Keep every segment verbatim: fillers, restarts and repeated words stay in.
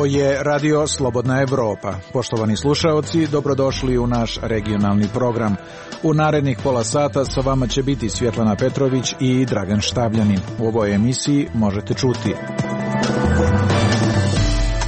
je Radio Slobodna Evropa. Poštovani slušaoci, dobrodošli u naš regionalni program. U narednih pola sata sa vama će biti Svjetlana Petrović i Dragan Štavljanin. U ovoj emisiji možete čuti: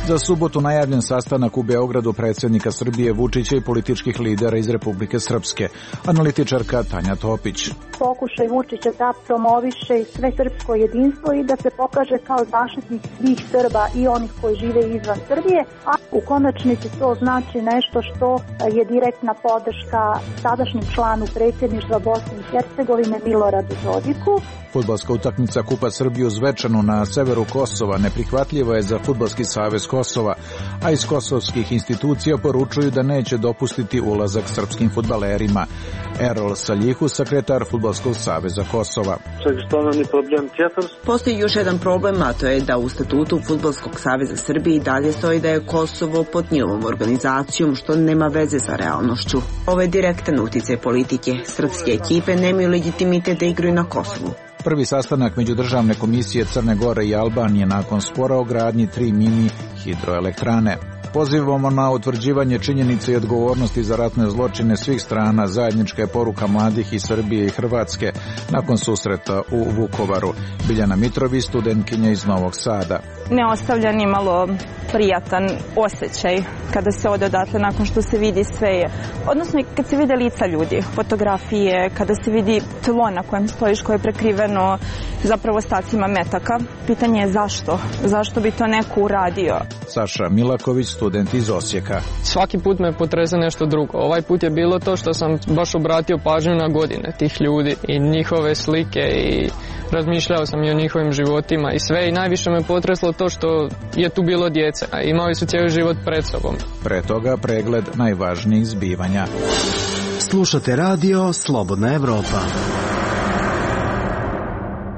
za subotu najavljen sastanak u Beogradu predsjednika Srbije Vučića i političkih lidera iz Republike Srpske. Analitičarka Tanja Topić. Pokušaj Vučića da promoviše sve srpsko jedinstvo i da se pokaže kao zaštitnik svih Srba i onih koji žive izvan Srbije, a u konačnici to znači nešto što je direktna podrška sadašnjem članu predsjedništva Bosne i Hercegovine Miloradu Dodiku. Fudbalska utakmica Kupa Srbije u Zvečanu na severu Kosova neprihvatljiva je za Fudbalski savez Kosova, a iz kosovskih institucija poručuju da neće dopustiti ulazak srpskim fudbalerima. Erol Saljihu, sekretar Fudbalskog saveza Kosova. Postoji još jedan problem, a to je da u statutu Fudbalskog saveza Srbije i dalje stoji da je Kosovo pod njihovom organizacijom, što nema veze sa realnošću. Ovo je direktan uticaj politike. Srpske ekipe nemaju legitimitet da igraju na Kosovu. Prvi sastanak Međudržavne komisije Crne Gore i Albanije nakon spora o gradnji tri mini hidroelektrane. Pozivamo na utvrđivanje činjenica i odgovornosti za ratne zločine svih strana. Zajednička je poruka mladih iz Srbije i Hrvatske nakon susreta u Vukovaru. Biljana Mitrović, studentkinja iz Novog Sada. Ne ostavlja ni malo prijatan osjećaj kada se ode odatle nakon što se vidi sve, odnosno kad se vide lica ljudi, fotografije, kada se vidi tlo na kojem stojiš koje je prekriveno zapravo ostacima metaka. Pitanje je zašto? Zašto bi to neko uradio? Saša Milaković, student iz Osijeka. Svaki put me potrese nešto drugo. Ovaj put je bilo to što sam baš obratio pažnju na godine tih ljudi i njihove slike i razmišljao sam i o njihovim životima i sve, i najviše me potreslo to što je tu bilo djece, a imali su cijeli život pred sobom. Pre toga pregled najvažnijih zbivanja. Slušate radio Slobodna Evropa.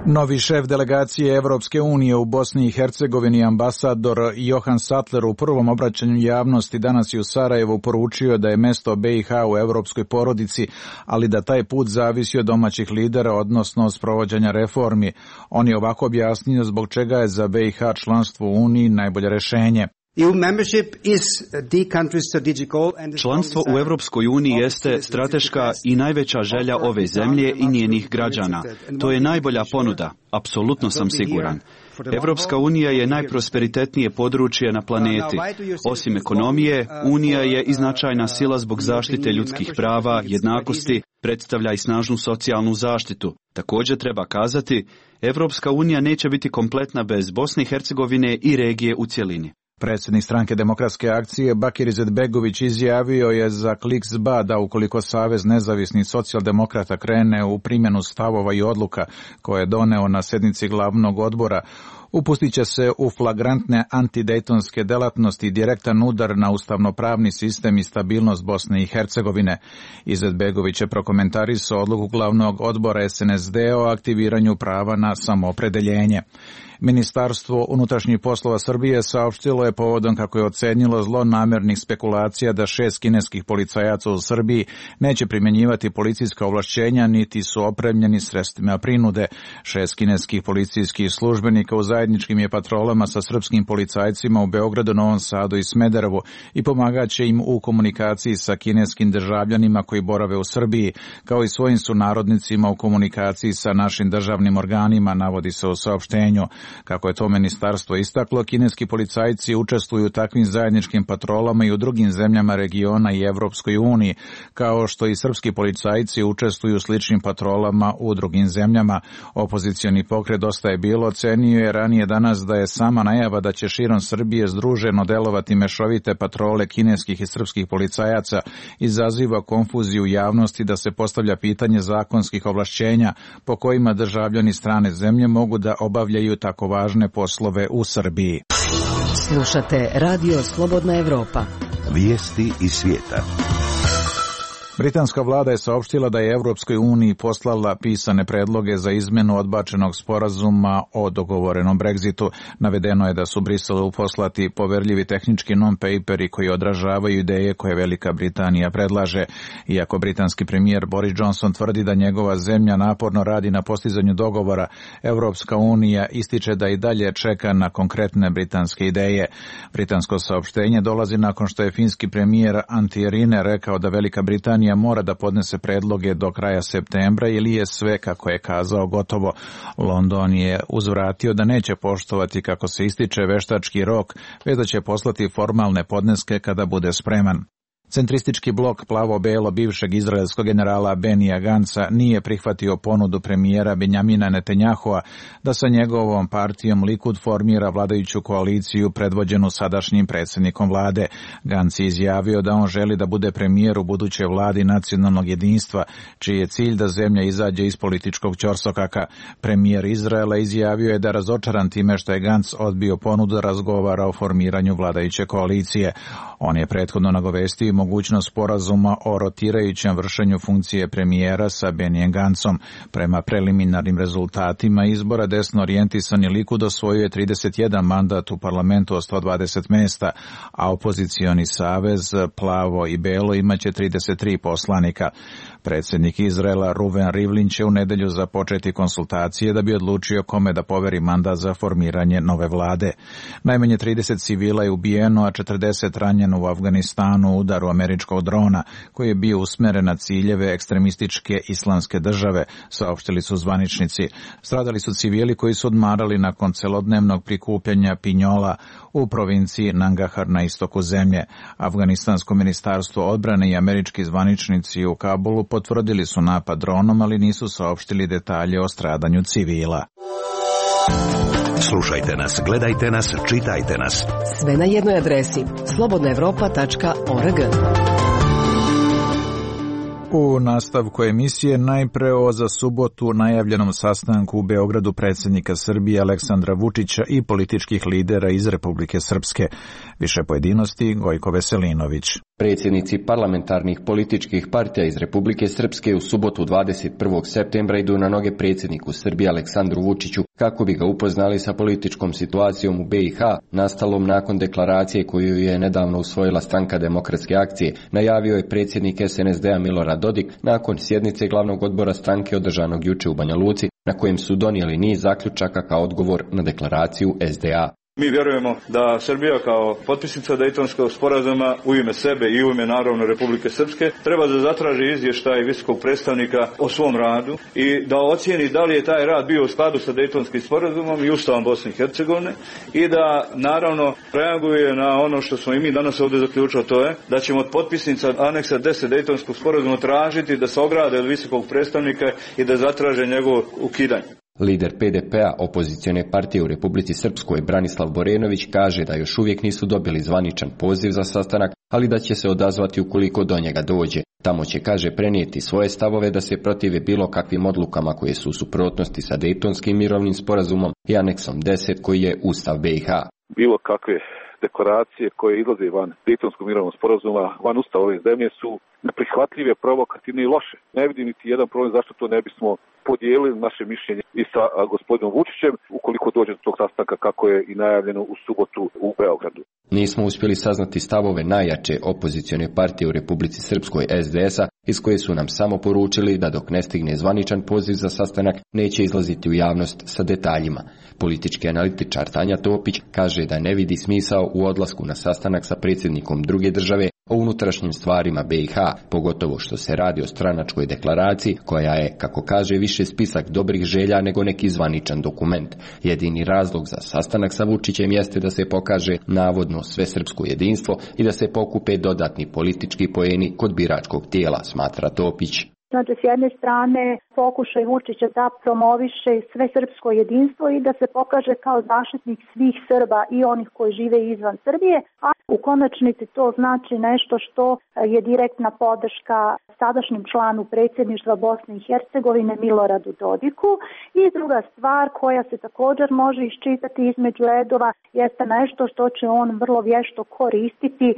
Novi šef delegacije Evropske unije u Bosni i Hercegovini, ambasador Johan Sattler, u prvom obraćanju javnosti danas i u Sarajevu poručio da je mesto B i H u evropskoj porodici, ali da taj put zavisi od domaćih lidera, odnosno od sprovođenja reformi. On je ovako objasnio zbog čega je za B i H članstvo u Uniji najbolje rješenje. Članstvo u Europskoj uniji jeste strateška i najveća želja ove zemlje i njenih građana. To je najbolja ponuda, apsolutno sam siguran. Europska unija je najprosperitetnije područje na planeti. Osim ekonomije, Unija je i značajna sila zbog zaštite ljudskih prava, jednakosti, predstavlja i snažnu socijalnu zaštitu. Također treba kazati, Europska unija neće biti kompletna bez Bosne i Hercegovine i regije u cjelini. Predsjednik stranke Demokratske akcije Bakir Izetbegović izjavio je za Kliks.ba da ukoliko Savez nezavisnih socijaldemokrata krene u primjenu stavova i odluka koje je doneo na sjednici glavnog odbora, upustit će se u flagrantne antidejtonske delatnosti i direktan udar na ustavnopravni sistem i stabilnost Bosne i Hercegovine. Izetbegović je prokomentarisao odluku glavnog odbora S N S D o aktiviranju prava na samoopredeljenje. Ministarstvo unutrašnjih poslova Srbije saopštilo je povodom kako je ocenilo zlonamjernih spekulacija da šest kineskih policajaca u Srbiji neće primjenjivati policijska ovlašćenja niti su opremljeni sredstvima prinude. Šest kineskih policijskih službenika u zajedničkim je patrolama sa srpskim policajcima u Beogradu, Novom Sadu i Smederevu i pomagaće im u komunikaciji sa kineskim državljanima koji borave u Srbiji, kao i svojim sunarodnicima u komunikaciji sa našim državnim organima, navodi se u saopštenju. Kako je to ministarstvo istaklo, kineski policajci učestvuju u takvim zajedničkim patrolama i u drugim zemljama regiona i Evropskoj uniji, kao što i srpski policajci učestvuju u sličnim patrolama u drugim zemljama. Opozicioni pokret Dosta je bilo ocenio je ranije danas da je sama najava da će širom Srbije združeno delovati mešovite patrole kineskih i srpskih policajaca izaziva konfuziju u javnosti, da se postavlja pitanje zakonskih ovlašćenja po kojima državljani strane zemlje mogu da obavljaju tako važne poslove u Srbiji. Slušate radio Slobodna Evropa. Vijesti iz svijeta. Britanska vlada je saopštila da je Evropskoj uniji poslala pisane predloge za izmenu odbačenog sporazuma o dogovorenom Brexitu. Navedeno je da su Briselu poslati poverljivi tehnički non-paperi koji odražavaju ideje koje Velika Britanija predlaže. Iako britanski premijer Boris Johnson tvrdi da njegova zemlja naporno radi na postizanju dogovora, Evropska unija ističe da i dalje čeka na konkretne britanske ideje. Britansko saopštenje dolazi nakon što je finski premijer Antti Rinne rekao da Velika Britanija mora da podnese predloge do kraja septembra ili je sve, kako je kazao, gotovo. London je uzvratio da neće poštovati, kako se ističe, veštački rok, već da će poslati formalne podneske kada bude spreman. Centristički blok plavo-belo bivšeg izraelskog generala Benija Ganca nije prihvatio ponudu premijera Benjamina Netanjahua da sa njegovom partijom Likud formira vladajuću koaliciju predvođenu sadašnjim predsjednikom vlade. Gantz je izjavio da on želi da bude premijer u budućoj vladi nacionalnog jedinstva, čiji je cilj da zemlja izađe iz političkog ćorsokaka. Premijer Izraela izjavio je da razočaran time što je Gantz odbio ponudu da razgovara o formiranju vladajuće koalicije. On je prethodno nagovestio mogućnost sporazuma o rotirajućem vršenju funkcije premijera sa Benijem Gancom. Prema preliminarnim rezultatima izbora desno orijentisani Likud osvojio je trideset jedan mandat u parlamentu od sto dvadeset mesta, a opozicioni savez Plavo i Belo imaće trideset tri poslanika. Predsjednik Izraela Ruven Rivlin će u nedelju započeti konsultacije da bi odlučio kome da poveri mandat za formiranje nove vlade. Najmanje trideset civila je ubijeno, a četrdeset ranjeno u Afganistanu u udaru američkog drona koji je bio usmeren na ciljeve ekstremističke islamske države, saopštili su zvaničnici. Stradali su civili koji su odmarali nakon celodnevnog prikupljanja pinjola u provinciji Nangahar na istoku zemlje. Afganistansko ministarstvo odbrane i američki zvaničnici u Kabulu potvrdili su napad dronom, ali nisu saopštili detalje o stradanju civila. Slušajte nas, gledajte nas, čitajte nas. Sve na jednoj adresi slobodna evropa tačka org. U nastavku emisije najpre o za subotu najavljenom sastanku u Beogradu predsjednika Srbije Aleksandra Vučića i političkih lidera iz Republike Srpske. Više pojedinosti Gojko Veselinović. Predsjednici parlamentarnih političkih partija iz Republike Srpske u subotu dvadeset prvog septembra idu na noge predsjedniku Srbije Aleksandru Vučiću kako bi ga upoznali sa političkom situacijom u B i H, nastalom nakon deklaracije koju je nedavno usvojila Stranka demokratske akcije, najavio je predsjednik S N S D-a Milorad Dodik nakon sjednice glavnog odbora stranke održanog juče u Banja Luci, na kojem su donijeli niz zaključaka kao odgovor na deklaraciju S D A. Mi vjerujemo da Srbija kao potpisnica Dejtonskog sporazuma u ime sebe i u ime naravno Republike Srpske treba da zatraži izvještaj visokog predstavnika o svom radu i da ocijeni da li je taj rad bio u skladu sa Dejtonskim sporazumom i Ustavom Bosne i Hercegovine i da naravno reaguje na ono što smo i mi danas ovdje zaključili, to je da ćemo od potpisnica aneksa deset Dejtonskog sporazuma tražiti da se ograde od visokog predstavnika i da zatraže njegovo ukidanje. Lider P D P-a, opozicione partije u Republici Srpskoj, Branislav Borenović, kaže da još uvijek nisu dobili zvaničan poziv za sastanak, ali da će se odazvati ukoliko do njega dođe. Tamo će, kaže, prenijeti svoje stavove da se protive bilo kakvim odlukama koje su u suprotnosti sa Dejtonskim mirovnim sporazumom i aneksom deset koji je Ustav B i H. Bilo kakve deklaracije koje izlaze van Dejtonskog mirovnog sporazuma, van Ustava ove zemlje su neprihvatljive, provokativne i loše. Ne vidim niti jedan problem zašto to ne bismo podijelili naše mišljenje i sa gospodinom Vučićem ukoliko dođe do tog sastanka kako je i najavljeno u subotu u Beogradu. Nismo uspjeli saznati stavove najjače opozicione partije u Republici Srpskoj S D S-a, iz koje su nam samo poručili da dok ne stigne zvaničan poziv za sastanak neće izlaziti u javnost sa detaljima. Politički analitičar Tanja Topić kaže da ne vidi smisao u odlasku na sastanak sa predsjednikom druge države o unutrašnjim stvarima B i H, pogotovo što se radi o stranačkoj deklaraciji koja je, kako kaže, više spisak dobrih želja nego neki zvaničan dokument. Jedini razlog za sastanak sa Vučićem jeste da se pokaže navodno svesrpsko jedinstvo i da se pokupe dodatni politički poeni kod biračkog tijela, smatra Topić. Znači, s jedne strane pokušaj Vučića da promoviše sve srpsko jedinstvo i da se pokaže kao zaštitnik svih Srba i onih koji žive izvan Srbije, a u konačnici to znači nešto što je direktna podrška sadašnjem članu predsjedništva Bosne i Hercegovine Miloradu Dodiku. I druga stvar koja se također može iščitati između redova jeste nešto što će on vrlo vješto koristiti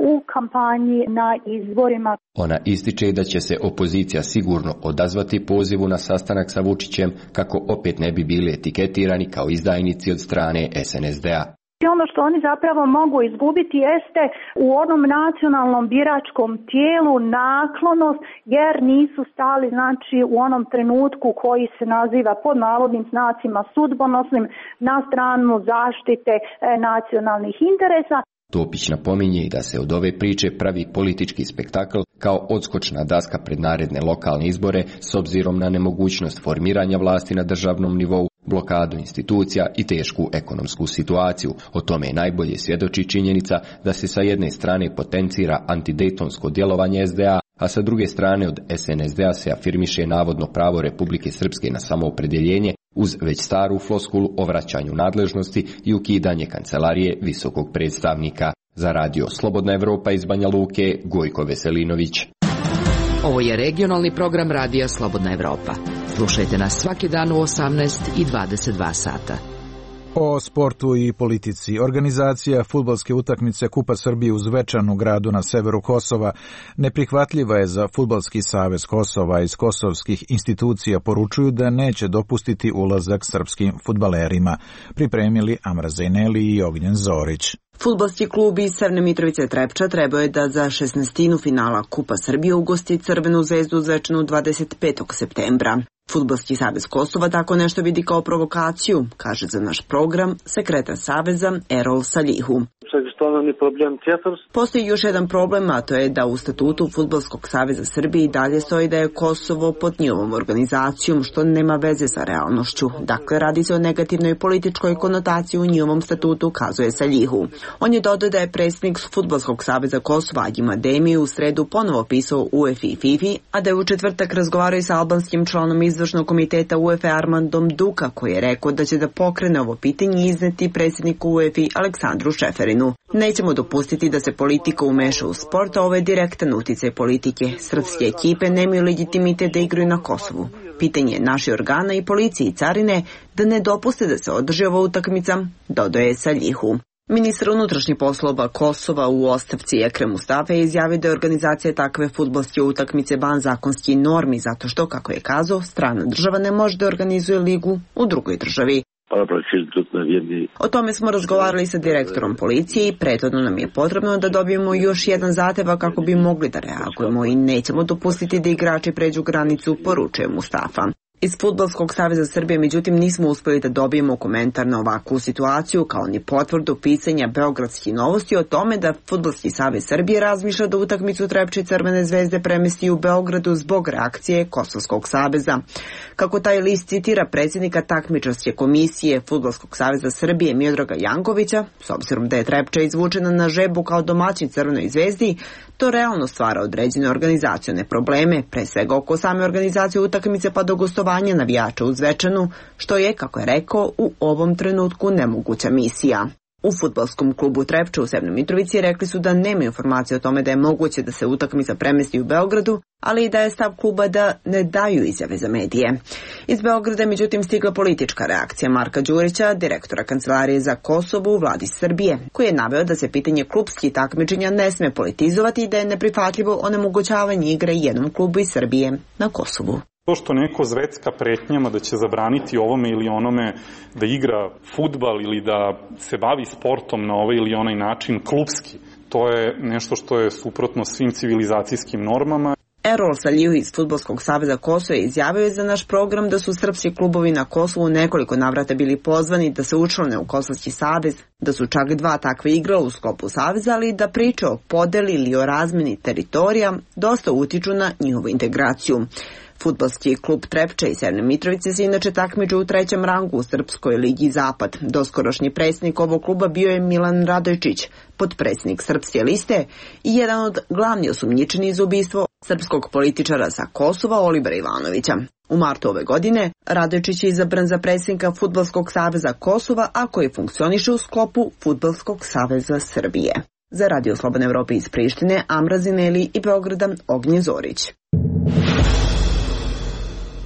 u kampanji na izborima. Ona ističe da će se opozicija sigurno odazvati pozivu na sastanak sa Vučićem kako opet ne bi bili etiketirani kao izdajnici od strane es en es de a. I ono što oni zapravo mogu izgubiti jeste u onom nacionalnom biračkom tijelu naklonost, jer nisu stali, znači, u onom trenutku koji se naziva pod navodnim znacima sudbonosnim na stranu zaštite e, nacionalnih interesa. Topić napominje da se od ove priče pravi politički spektakl kao odskočna daska pred naredne lokalne izbore s obzirom na nemogućnost formiranja vlasti na državnom nivou, blokadu institucija i tešku ekonomsku situaciju. O tome najbolje svjedoči činjenica da se sa jedne strane potencira antidejtonsko djelovanje es de a, a sa druge strane od es en es de a se afirmiše navodno pravo Republike Srpske na samoopredjeljenje uz već staru floskulu o vraćanju nadležnosti i ukidanje kancelarije visokog predstavnika. Za radio Slobodna Evropa iz Banja Luke, Gojko Veselinović. Ovo je regionalni program radija Slobodna Evropa. Slušajte nas svaki dan u osamnaest i dvadeset dva sata. O sportu i politici. Organizacija fudbalske utakmice Kupa Srbije u Zvečanu, gradu na severu Kosova, neprihvatljiva je za Fudbalski savez Kosova. Iz kosovskih institucija poručuju da neće dopustiti ulazak srpskim fudbalerima. Pripremili Amra Zejneli i Ognjen Zorić. Fudbalski klub iz Severne Mitrovice Trepča trebao je da za šesnaestinu finala Kupa Srbije ugosti Crvenu zvezdu u Zvečanu dvadeset petog septembra. Fudbalski savez Kosova tako nešto vidi kao provokaciju, kaže za naš program sekretar saveza Erol Saljihu. Postoji još jedan problem, a to je da u statutu Fudbalskog saveza Srbije i dalje stoji da je Kosovo pod njihovom organizacijom, što nema veze sa realnošću. Dakle, radi se o negativnoj političkoj konotaciji u njihovom statutu, kazuje Saljihu. On je dodao da je predsjednik Fudbalskog saveza Kosova Adjima Demi u sredu ponovo pisao U E F I i FIFA, a da je u četvrtak razgovarao i sa albanskim članom izvršnog komiteta U E F E Armandom Duka, koji je rekao da će da pokrene ovo pitanje i izneti predsjedniku U E F I Aleksandru Šeferinu. Nećemo dopustiti da se politika umeša u sport, a ovo je direktan uticaj politike. Srpske ekipe nemaju legitimitet da igraju na Kosovu. Pitanje je naših organa i policije i carine da ne dopuste da se održi ova utakmica, dodaje Saljihu. Ministar unutrašnjih poslova Kosova u ostavci Ekrem Mustafa je izjavio da je organizacija takve fudbalske utakmice van zakonskih normi, zato što, kako je kazao, strana država ne može da organizuje ligu u drugoj državi. O tome smo razgovarali sa direktorom policije i prethodno nam je potrebno da dobijemo još jedan zahtjev kako bi mogli da reagujemo i nećemo dopustiti da igrači pređu granicu, poručuje Mustafa. Iz Fudbalskog saveza Srbije, međutim, nismo uspjeli da dobijemo komentar na ovakvu situaciju, kao ni potvrdu pisanja Beogradskih novosti o tome da Fudbalski savez Srbije razmišlja da utakmicu Trepče Crvene zvezde premesti u Beogradu zbog reakcije Kosovskog saveza. Kako taj list citira predsjednika takmičarske komisije Fudbalskog saveza Srbije Miodraga Jankovića, s obzirom da je Trepča izvučena na žebu kao domaćin Crvenoj zvezdi, to realno stvara određene organizacione probleme, pre svega oko same organizacije utakmice pa do gostovanja navijača u Zvečanu, što je, kako je rekao, u ovom trenutku nemoguća misija. U fudbalskom klubu Trepča u Severnoj Mitrovici rekli su da nema informacije o tome da je moguće da se utakmica premesti u Beogradu, ali i da je stav kluba da ne daju izjave za medije. Iz Beograda je međutim stigla politička reakcija Marka Đurića, direktora Kancelarije za Kosovo u vladi Srbije, koji je naveo da se pitanje klubskih takmičenja ne sme politizovati i da je neprihvatljivo onemogućavanje igre jednom klubu iz Srbije na Kosovu. To što neko zvecka pretnjama da će zabraniti ovome ili onome da igra fudbal ili da se bavi sportom na ovaj ili onaj način klubski, to je nešto što je suprotno svim civilizacijskim normama. Erol Saljihu iz Fudbalskog saveza Kosova je izjavio za naš program da su srpski klubovi na Kosovu nekoliko navrata bili pozvani da se učlane u Kosovski savez, da su čak dva takve igrala u sklopu saveza, ali da priče o podeli ili o razmeni teritorija dosta utiču na njihovu integraciju. Fudbalski klub Trepča i Severne Mitrovice se inače takmiče u trećem rangu u Srpskoj ligi Zapad. Doskorašnji predsjednik ovog kluba bio je Milan Radojčić, potpredsjednik Srpske liste i jedan od glavnih osumnjičenih za ubistvo srpskog političara sa Kosova Olibera Ivanovića. U martu ove godine Radojičić je izabran za predsjednika Fudbalskog saveza Kosova, a koji funkcioniše u sklopu Fudbalskog saveza Srbije. Za Radio Slobodne Evrope iz Prištine, Amra Zineli i Beograda, Ognjen Zorić.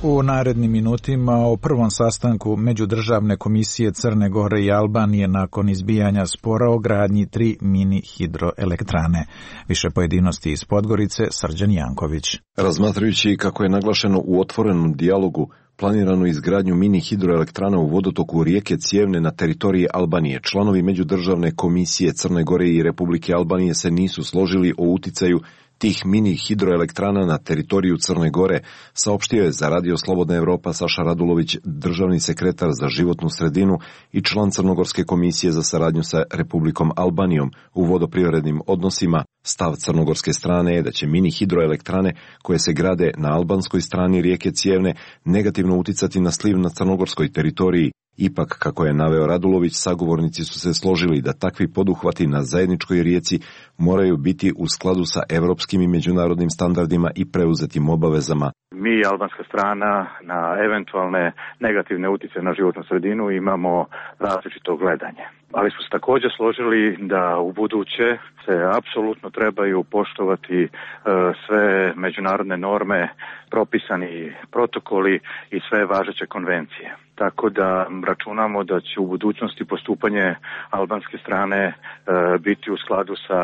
U narednim minutima o prvom sastanku Međudržavne komisije Crne Gore i Albanije nakon izbijanja spora o gradnji tri mini hidroelektrane. Više pojedinosti iz Podgorice, Srđan Janković. Razmatrajući kako je naglašeno u otvorenom dijalogu planiranu izgradnju mini hidroelektrana u vodotoku rijeke Cijevne na teritoriji Albanije, članovi Međudržavne komisije Crne Gore i Republike Albanije se nisu složili o uticaju tih mini hidroelektrana na teritoriju Crne Gore, saopštio je za Radio Slobodna Evropa Saša Radulović, državni sekretar za životnu sredinu i član Crnogorske komisije za saradnju sa Republikom Albanijom u vodoprivrednim odnosima. Stav crnogorske strane je da će mini hidroelektrane koje se grade na albanskoj strani rijeke Cijevne negativno uticati na sliv na crnogorskoj teritoriji. Ipak, kako je naveo Radulović, sagovornici su se složili da takvi poduhvati na zajedničkoj rijeci moraju biti u skladu sa evropskim i međunarodnim standardima i preuzetim obavezama. Mi, albanska strana, na eventualne negativne uticaje na životnu sredinu imamo različito gledanje. Ali smo se također složili da u buduće se apsolutno trebaju poštovati e, sve međunarodne norme, propisani protokoli i sve važeće konvencije. Tako da računamo da će u budućnosti postupanje albanske strane e, biti u skladu sa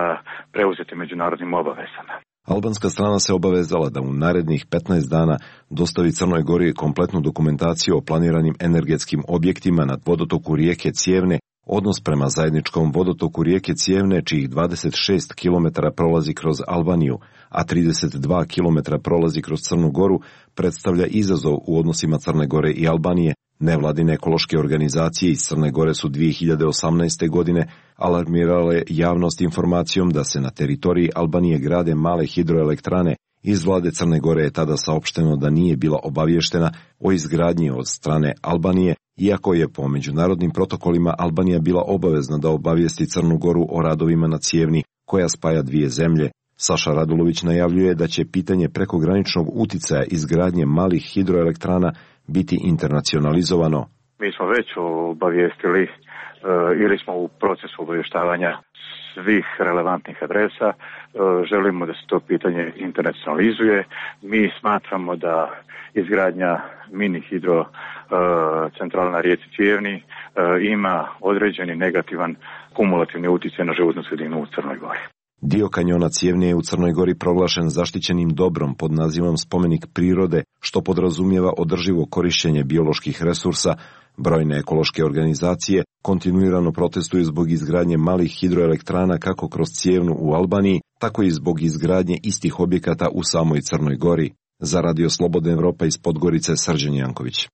preuzetim međunarodnim obavezama. Albanska strana se obavezala da u narednih petnaest dana dostavi Crnoj Gori kompletnu dokumentaciju o planiranim energetskim objektima na vodotoku rijeke Cijevne, odnos prema zajedničkom vodotoku rijeke Cijevne, čijih dvadeset šest kilometara prolazi kroz Albaniju, a trideset dva kilometra prolazi kroz Crnu Goru, predstavlja izazov u odnosima Crne Gore i Albanije. Nevladine ekološke organizacije iz Crne Gore su dvije hiljade osamnaeste. godine alarmirale javnost informacijom da se na teritoriji Albanije grade male hidroelektrane. Iz vlade Crne Gore je tada saopšteno da nije bila obavještena o izgradnji od strane Albanije, iako je po međunarodnim protokolima Albanija bila obavezna da obavijesti Crnu Goru o radovima na Cijevni, koja spaja dvije zemlje. Saša Radulović najavljuje da će pitanje prekograničnog uticaja izgradnje malih hidroelektrana biti internacionalizovano. Mi smo već obavijestili e, ili smo u procesu obavještavanja svih relevantnih adresa. E, želimo da se to pitanje internacionalizuje. Mi smatramo da izgradnja mini hidro e, centrala na rijeci Cijevni e, ima određeni negativan kumulativni utjecaj na životnu sredinu u Crnoj Gori. Dio kanjona Cijevne je u Crnoj Gori proglašen zaštićenim dobrom pod nazivom spomenik prirode, što podrazumijeva održivo korišćenje bioloških resursa. Brojne ekološke organizacije kontinuirano protestuju zbog izgradnje malih hidroelektrana kako kroz Cijevnu u Albaniji, tako i zbog izgradnje istih objekata u samoj Crnoj Gori. Za Radio Slobodna Evropa iz Podgorice, Srđan Janković.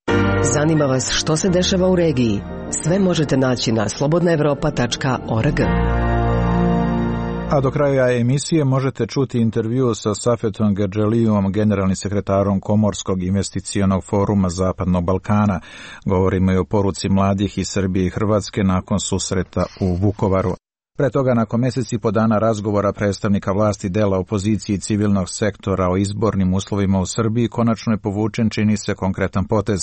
Zanima vas što se dešava u regiji? Sve možete naći na slobodna evropa tačka org. A do kraja emisije možete čuti intervju sa Safetom Gerđelijom, generalnim sekretarom Komorskog investicionog foruma Zapadnog Balkana. Govorimo i o poruci mladih iz Srbije i Hrvatske nakon susreta u Vukovaru. Pre toga, nakon mjesec i po dana razgovora predstavnika vlasti, dela opozicije i civilnog sektora o izbornim uslovima u Srbiji, konačno je povučen, čini se, konkretan potez.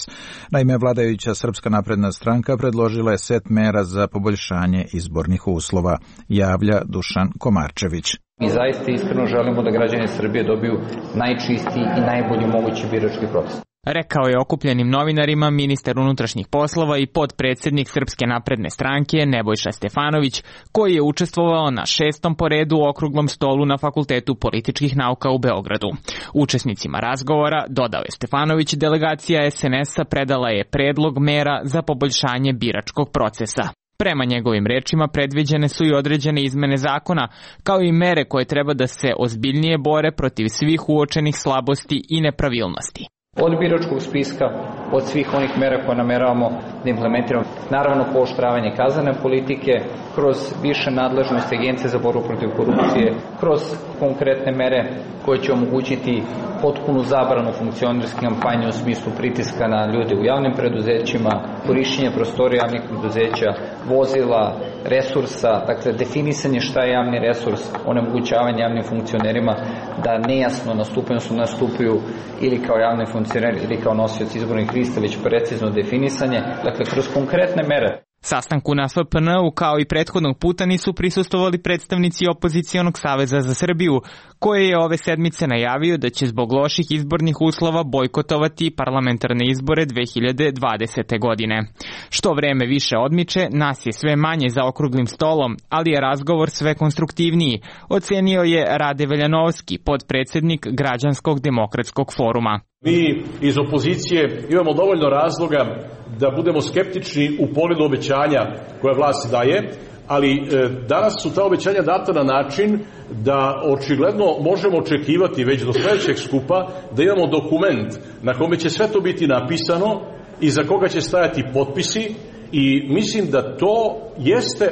Naime, vladajuća Srpska napredna stranka predložila je set mera za poboljšanje izbornih uslova, javlja Dušan Komarčević. Mi zaista iskreno želimo da građani Srbije dobiju najčistiji i najbolji mogući birački proces. Rekao je okupljenim novinarima ministar unutrašnjih poslova i potpredsjednik Srpske napredne stranke Nebojša Stefanović, koji je učestvovao na šestom po redu okruglom stolu na Fakultetu političkih nauka u Beogradu. Učesnicima razgovora, dodao je Stefanović, delegacija es en es a predala je predlog mera za poboljšanje biračkog procesa. Prema njegovim rečima predviđene su i određene izmene zakona, kao i mere koje treba da se ozbiljnije bore protiv svih uočenih slabosti i nepravilnosti. Od biračkog spiska, od svih onih mera koje nameravamo da implementiramo, naravno pooštravanje kaznene politike, kroz više nadležnosti Agencije za borbu protiv korupcije, kroz konkretne mere koje će omogućiti potpunu zabranu funkcionerske kampanje u smislu pritiska na ljude u javnim preduzećima, korišćenje prostorija javnih preduzeća, vozila, resursa, dakle definisanje šta je javni resurs, onemogućavanje javnim funkcionerima da nejasno nastupaju, su nastupaju ili kao javni funkcioneri ili kao nosioci izbornih lista, već precizno definisanje, dakle kroz konkretne mere. Sastanku na F P N-u kao i prethodnog puta nisu prisustvovali predstavnici Opozicionog saveza za Srbiju, koji je ove sedmice najavio da će zbog loših izbornih uslova bojkotovati parlamentarne izbore dve hiljade dvadesete. godine. Što vreme više odmiče, nas je sve manje za okruglim stolom, ali je razgovor sve konstruktivniji, ocenio je Rade Veljanovski, podpredsednik Građanskog demokratskog foruma. Mi iz opozicije imamo dovoljno razloga da budemo skeptični u pogledu obećanja koje vlast daje, ali e, danas su ta obećanja data na način da očigledno možemo očekivati već do sledećeg skupa da imamo dokument na kome će sve to biti napisano i za koga će stajati potpisi i mislim da to jeste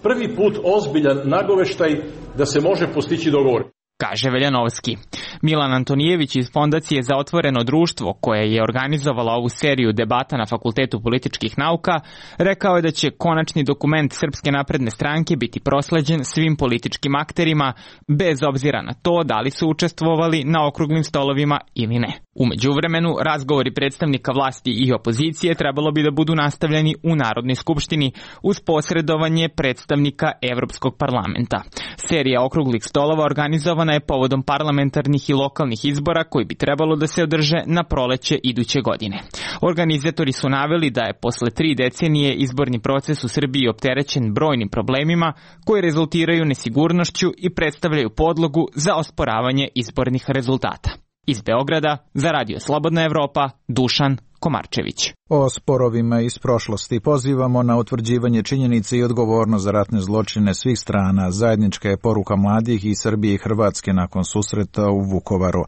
prvi put ozbiljan nagoveštaj da se može postići dogovor, kaže Veljanovski. Milan Antonijević iz Fondacije za otvoreno društvo, koje je organizovala ovu seriju debata na Fakultetu političkih nauka, rekao je da će konačni dokument Srpske napredne stranke biti prosleđen svim političkim akterima, bez obzira na to da li su učestvovali na okruglim stolovima ili ne. U međuvremenu, razgovori predstavnika vlasti i opozicije trebalo bi da budu nastavljeni u Narodnoj skupštini uz posredovanje predstavnika Evropskog parlamenta. Serija okruglih stolova organizovana je povodom parlamentarnih i lokalnih izbora koji bi trebalo da se održe na proleće iduće godine. Organizatori su naveli da je posle tri decenije izborni proces u Srbiji opterećen brojnim problemima koji rezultiraju nesigurnošću i predstavljaju podlogu za osporavanje izbornih rezultata. Iz Beograda, za Radio Slobodna Evropa, Dušan Komarčević. O sporovima iz prošlosti pozivamo na utvrđivanje činjenice i odgovornost za ratne zločine svih strana. Zajednička je poruka mladih iz Srbije i Hrvatske nakon susreta u Vukovaru,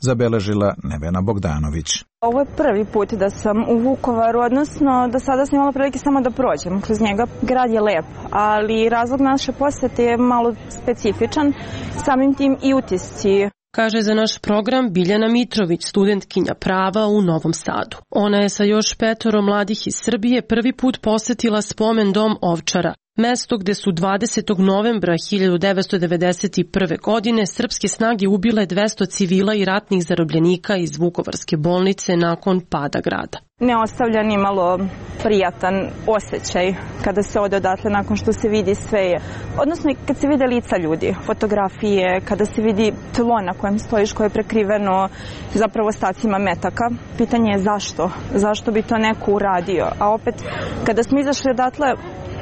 zabeležila Nevena Bogdanović. Ovo je prvi put da sam u Vukovaru, odnosno do sada sam imala prilike samo da prođem kroz njega. Grad je lep, ali razlog naše posete je malo specifičan, samim tim i utisci. Kaže za naš program Biljana Mitrović, studentkinja prava u Novom Sadu. Ona je sa još petoro mladih iz Srbije prvi put posetila spomen dom Ovčara, mesto gde su dvadesetog novembra hiljadu devetsto devedeset prve. godine srpske snage ubile dvesta civila i ratnih zarobljenika iz Vukovarske bolnice nakon pada grada. Ne ostavlja ni malo prijatan osjećaj kada se ode odatle nakon što se vidi sve, odnosno kad se vide lica ljudi, fotografije, kada se vidi tlo na kojem stojiš koje je prekriveno zapravo ostacima metaka. Pitanje je zašto? Zašto bi to neko uradio? A opet, kada smo izašli odatle,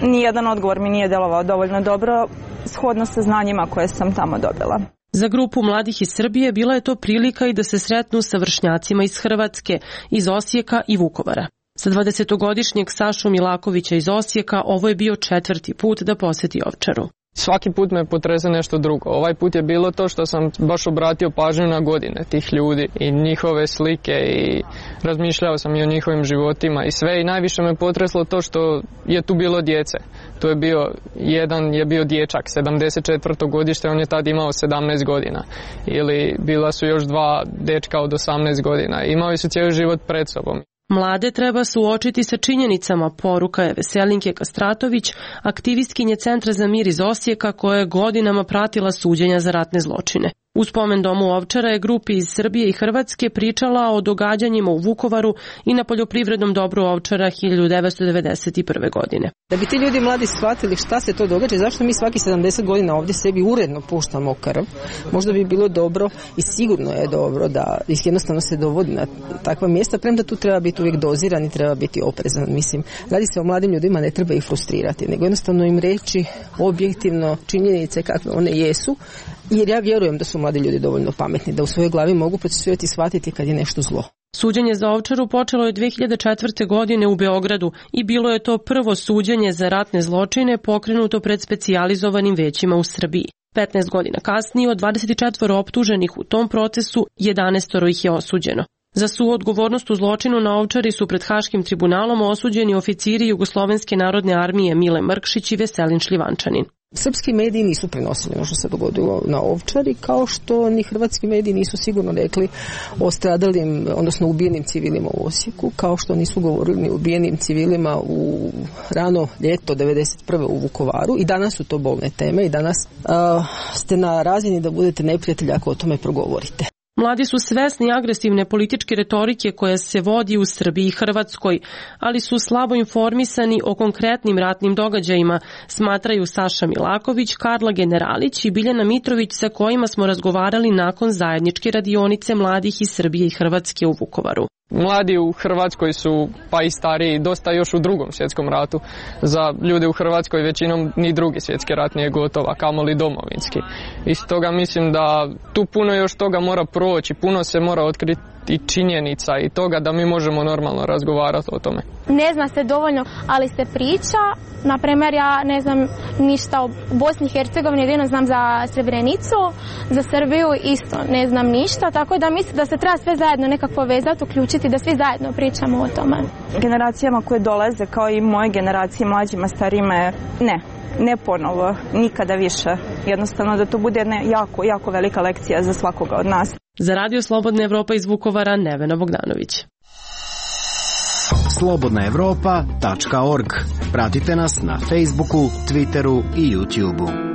nijedan odgovor mi nije delovao dovoljno dobro, shodno sa znanjima koje sam tamo dobila. Za grupu mladih iz Srbije bila je to prilika i da se sretnu sa vršnjacima iz Hrvatske, iz Osijeka i Vukovara. Sa dvadesetogodišnjeg Sašu Milakovića iz Osijeka ovo je bio četvrti put da poseti Ovčaru. Svaki put me potrese nešto drugo. Ovaj put je bilo to što sam baš obratio pažnju na godine tih ljudi i njihove slike i razmišljao sam i o njihovim životima i sve i najviše me potreslo to što je tu bilo djece. Tu je bio, jedan je bio dječak, sedamdeset četvrto godište, on je tad imao sedamnaest godina. Ili bila su još dva dečka od osamnaest godina. Imali su cijeli život pred sobom. Mlade treba suočiti sa činjenicama, poruka je Veselinke Kastratović, aktivistkinje Centra za mir iz Osijeka koja je godinama pratila suđenja za ratne zločine. U spomen domu Ovčara je grupi iz Srbije i Hrvatske pričala o događanjima u Vukovaru i na poljoprivrednom dobru Ovčara hiljadu devetsto devedeset prve. godine. Da bi ti ljudi mladi shvatili šta se to događa i zašto mi svaki sedamdeset godina ovdje sebi uredno puštamo krv, možda bi bilo dobro i sigurno je dobro da ih jednostavno se dovodi na takva mjesta, premda tu treba biti uvijek doziran i treba biti oprezan. Mislim, radi se o mladim ljudima, ne treba ih frustrirati, nego jednostavno im reći objektivno činjenice kakve one jesu, jer ja vjerujem da su mladi ljudi dovoljno pametni, da u svojoj glavi mogu procesuirati i shvatiti kad je nešto zlo. Suđenje za Ovčaru počelo je dve hiljade četvrte. godine u Beogradu i bilo je to prvo suđenje za ratne zločine pokrenuto pred specijalizovanim većima u Srbiji. petnaest godina kasnije od dvadeset četiri optuženih u tom procesu, jedanaest ih je osuđeno. Za suodgovornost u zločinu na Ovčari su pred Haškim tribunalom osuđeni oficiri Jugoslovenske narodne armije Mile Mrkšić i Veselin Šljivančanin. Srpski mediji nisu prenosili ono što se dogodilo na Ovčari, kao što ni hrvatski mediji nisu sigurno rekli o stradalim, odnosno ubijenim civilima u Osijeku, kao što nisu govorili ni o ubijenim civilima u rano ljeto devedeset prve u Vukovaru. I danas su to bolne teme i danas uh, ste na razini da budete neprijatelji ako o tome progovorite. Mladi su svesni agresivne političke retorike koja se vodi u Srbiji i Hrvatskoj, ali su slabo informisani o konkretnim ratnim događajima, smatraju Saša Milaković, Karla Generalić i Biljana Mitrović, sa kojima smo razgovarali nakon zajedničke radionice mladih iz Srbije i Hrvatske u Vukovaru. Mladi u Hrvatskoj su, pa i stariji, dosta još u drugom svjetskom ratu. Za ljude u Hrvatskoj većinom ni drugi svjetski rat nije gotova, kamoli domovinski. I stoga mislim da tu puno još toga mora proći, puno se mora otkriti i činjenica i toga da mi možemo normalno razgovarati o tome. Ne zna se dovoljno, ali se priča. Na primjer, ja ne znam ništa o Bosni i Hercegovini, jedino znam za Srebrenicu, za Srbiju isto ne znam ništa, tako da mislim da se treba sve zajedno nekako povezati, uključiti, da svi zajedno pričamo o tome. Generacijama koje dolaze, kao i moje generacije, mlađima, starijima, ne. Ne ponovo, nikada više. Jednostavno da to bude jedna jako, jako velika lekcija za svakoga od nas. Za Radio Slobodna Evropa iz Vukovara, Nevena Bogdanović. slobodna evropa tačka org. Pratite nas na Facebooku, Twitteru i YouTubeu.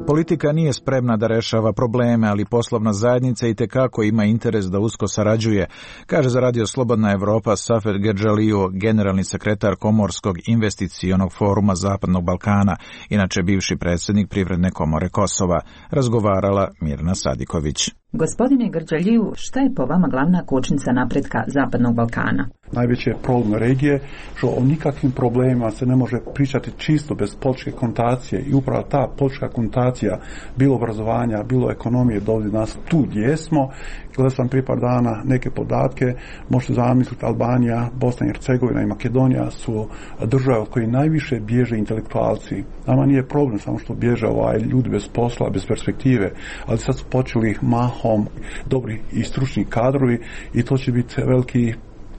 Politika nije spremna da rešava probleme, ali poslovna zajednica itekako ima interes da usko sarađuje, kaže za Radio Slobodna Evropa Safer Gerdžaliju, generalni sekretar Komorskog investicionog foruma Zapadnog Balkana, inače bivši predsjednik Privredne komore Kosova. Razgovarala Mirna Sadiković. Gospodine Grdžaliju, šta je po vama glavna kočnica napretka Zapadnog Balkana? Najveći je problem regije, što o nikakvim problemima se ne može pričati čisto bez političke konotacije i upravo ta politička konotacija, bilo obrazovanja, bilo ekonomije, dovodi nas tu gdje smo. Gledao sam prije par dana neke podatke, možete zamisliti Albanija, Bosna i Hercegovina i Makedonija su države od kojih najviše bježe intelektualci. Nama nije problem samo što bježe ovaj ljudi bez posla, bez perspektive, ali sad su počeli mahom dobri i stručni kadrovi i to će biti veliki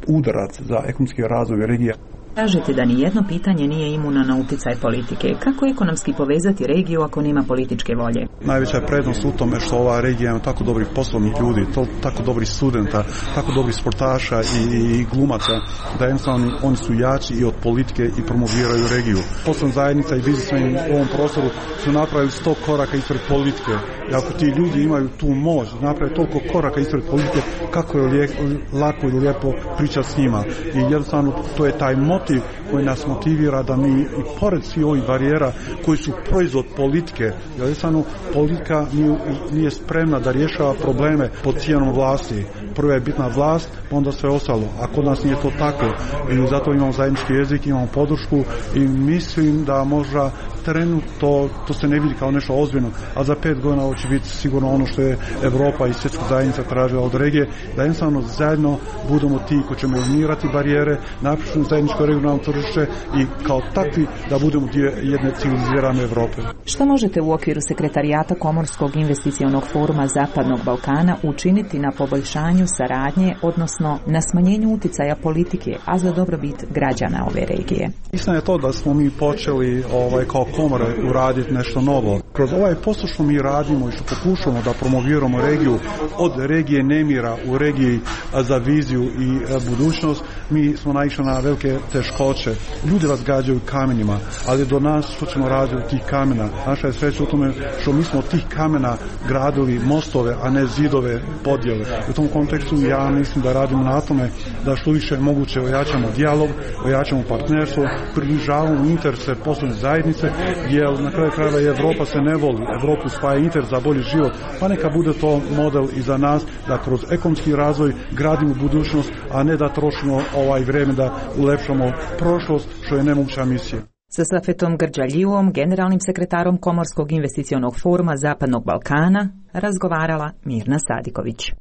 udarac za ekonomski razvoj regije. Kažete da ni jedno pitanje nije imuno na uticaj politike. Kako ekonomski povezati regiju ako nema političke volje? Najveća je prednost u tome što ova regija ima tako dobrih poslovnih ljudi, to, tako dobrih studenta, tako dobrih sportaša i, i glumaca, da jednostavno oni su jači i od politike i promoviraju regiju. Poslovna zajednica i biznismeni u ovom prostoru su napravili sto koraka ispred politike. I ako ti ljudi imaju tu moć, napraviti toliko koraka ispred politike, kako je lijek, lako i lijepo pričati s njima. I jednostavno to je taj motiv koji nas motivira da mi i pored svih ovih barijera koji su proizvod politike, jer jednostavno politika nije, nije spremna da rješava probleme pod cijenom vlasti. Prva je bitna vlast, pa onda sve ostalo. A kod nas nije to tako. I zato imamo zajednički jezik, imamo podršku i mislim da možda trenutno to, to se ne vidi kao nešto ozbiljno, a za pet godina ovo će biti sigurno ono što je Evropa i svjetska zajednica tražila od regije, da jednostavno zajedno budemo ti koji ćemo eliminirati barijere, napišemo zajedničko regionalno tržište i kao takvi da budemo dio jedne civilizirane Evrope. Što možete u okviru sekretarijata Komorskog investicionog foruma Zapadnog Balkana učiniti na poboljšanju saradnje, odnosno na smanjenju uticaja politike, a za dobrobit građana ove regije? Istina je to da smo mi počeli ovaj, kao komore uraditi nešto novo. Kroz ovaj posao što mi radimo i što pokušamo da promoviramo regiju od regije nemira u regiji za viziju i budućnost, mi smo naišli na velike teškoće. Ljudi vas gađaju kamenima, ali do nas što ćemo raditi od tih kamena. Naša je sreća u tome što mi smo od tih kamena gradili mostove, a ne zidove podjele. U tom kontekstu ja mislim da radimo na tome da što više moguće ojačamo dijalog, ojačamo partnerstvo, približavamo interese poslovne zajednice, jer na kraju krajeva i Evropa se ne voli. Evropu spaja interes za bolji život, pa neka bude to model i za nas da kroz ekonomski razvoj gradimo budućnost, a ne da trošimo ovaj vreme da ulepšamo prošlost, što je nemoguća misija. Sa Safetom Grdžaljivom, generalnim sekretarom Komorskog investicionog foruma Zapadnog Balkana, razgovarala Mirna Sadiković.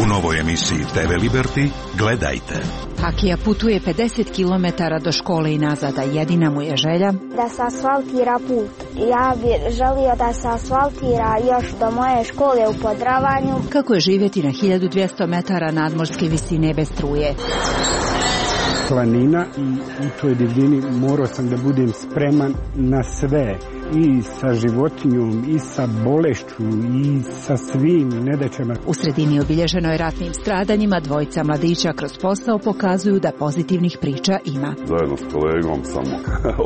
U novoj emisiji te ve Liberty gledajte. Akija putuje pedeset kilometara do škole i nazad, a jedina mu je želja da se asfaltira put. Ja bih želio da se asfaltira još do moje škole u Podravanju. Kako je živjeti na hiljadu dvjesto metara nadmorske visine bez struje. planina i u toj divljini morao sam da budem spreman na sve. I sa životinjom, i sa bolešću, i sa svim nedaćama. U sredini obilježenoj ratnim stradanjima dvojica mladića kroz posao pokazuju da pozitivnih priča ima. Zajedno s kolegom sam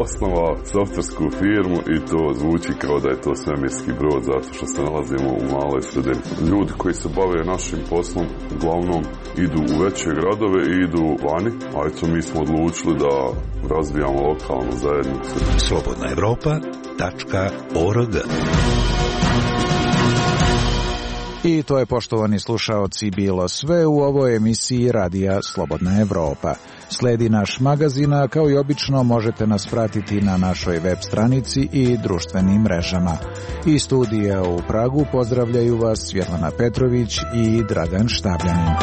osnovao softversku firmu i to zvuči kao da je to svemirski brod zato što se nalazimo u maloj sredini. Ljudi koji se bave našim poslom uglavnom idu u veće gradove i idu vani, a eto mi smo odlučili da razvijamo lokalnu zajednicu. Slobodna Evropa .org. I to je, poštovani slušaoci, bilo sve u ovoj emisiji Radija Slobodna Evropa. Sledi naš magazin, a kao i obično možete nas pratiti na našoj web stranici i društvenim mrežama. Iz studija u Pragu pozdravljaju vas Svjetlana Petrović i Dragan Štabljanin.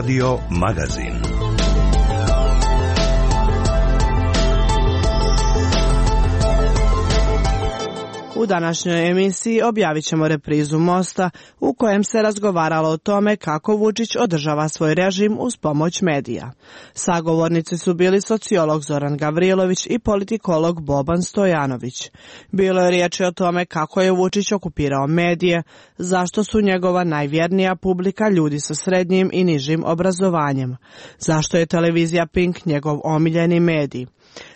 Radio Magazin. U današnjoj emisiji objavit ćemo reprizu Mosta u kojem se razgovaralo o tome kako Vučić održava svoj režim uz pomoć medija. Sagovornici su bili sociolog Zoran Gavrilović i politikolog Boban Stojanović. Bilo je riječi o tome kako je Vučić okupirao medije, zašto su njegova najvjernija publika ljudi sa srednjim i nižim obrazovanjem, zašto je televizija Pink njegov omiljeni medij,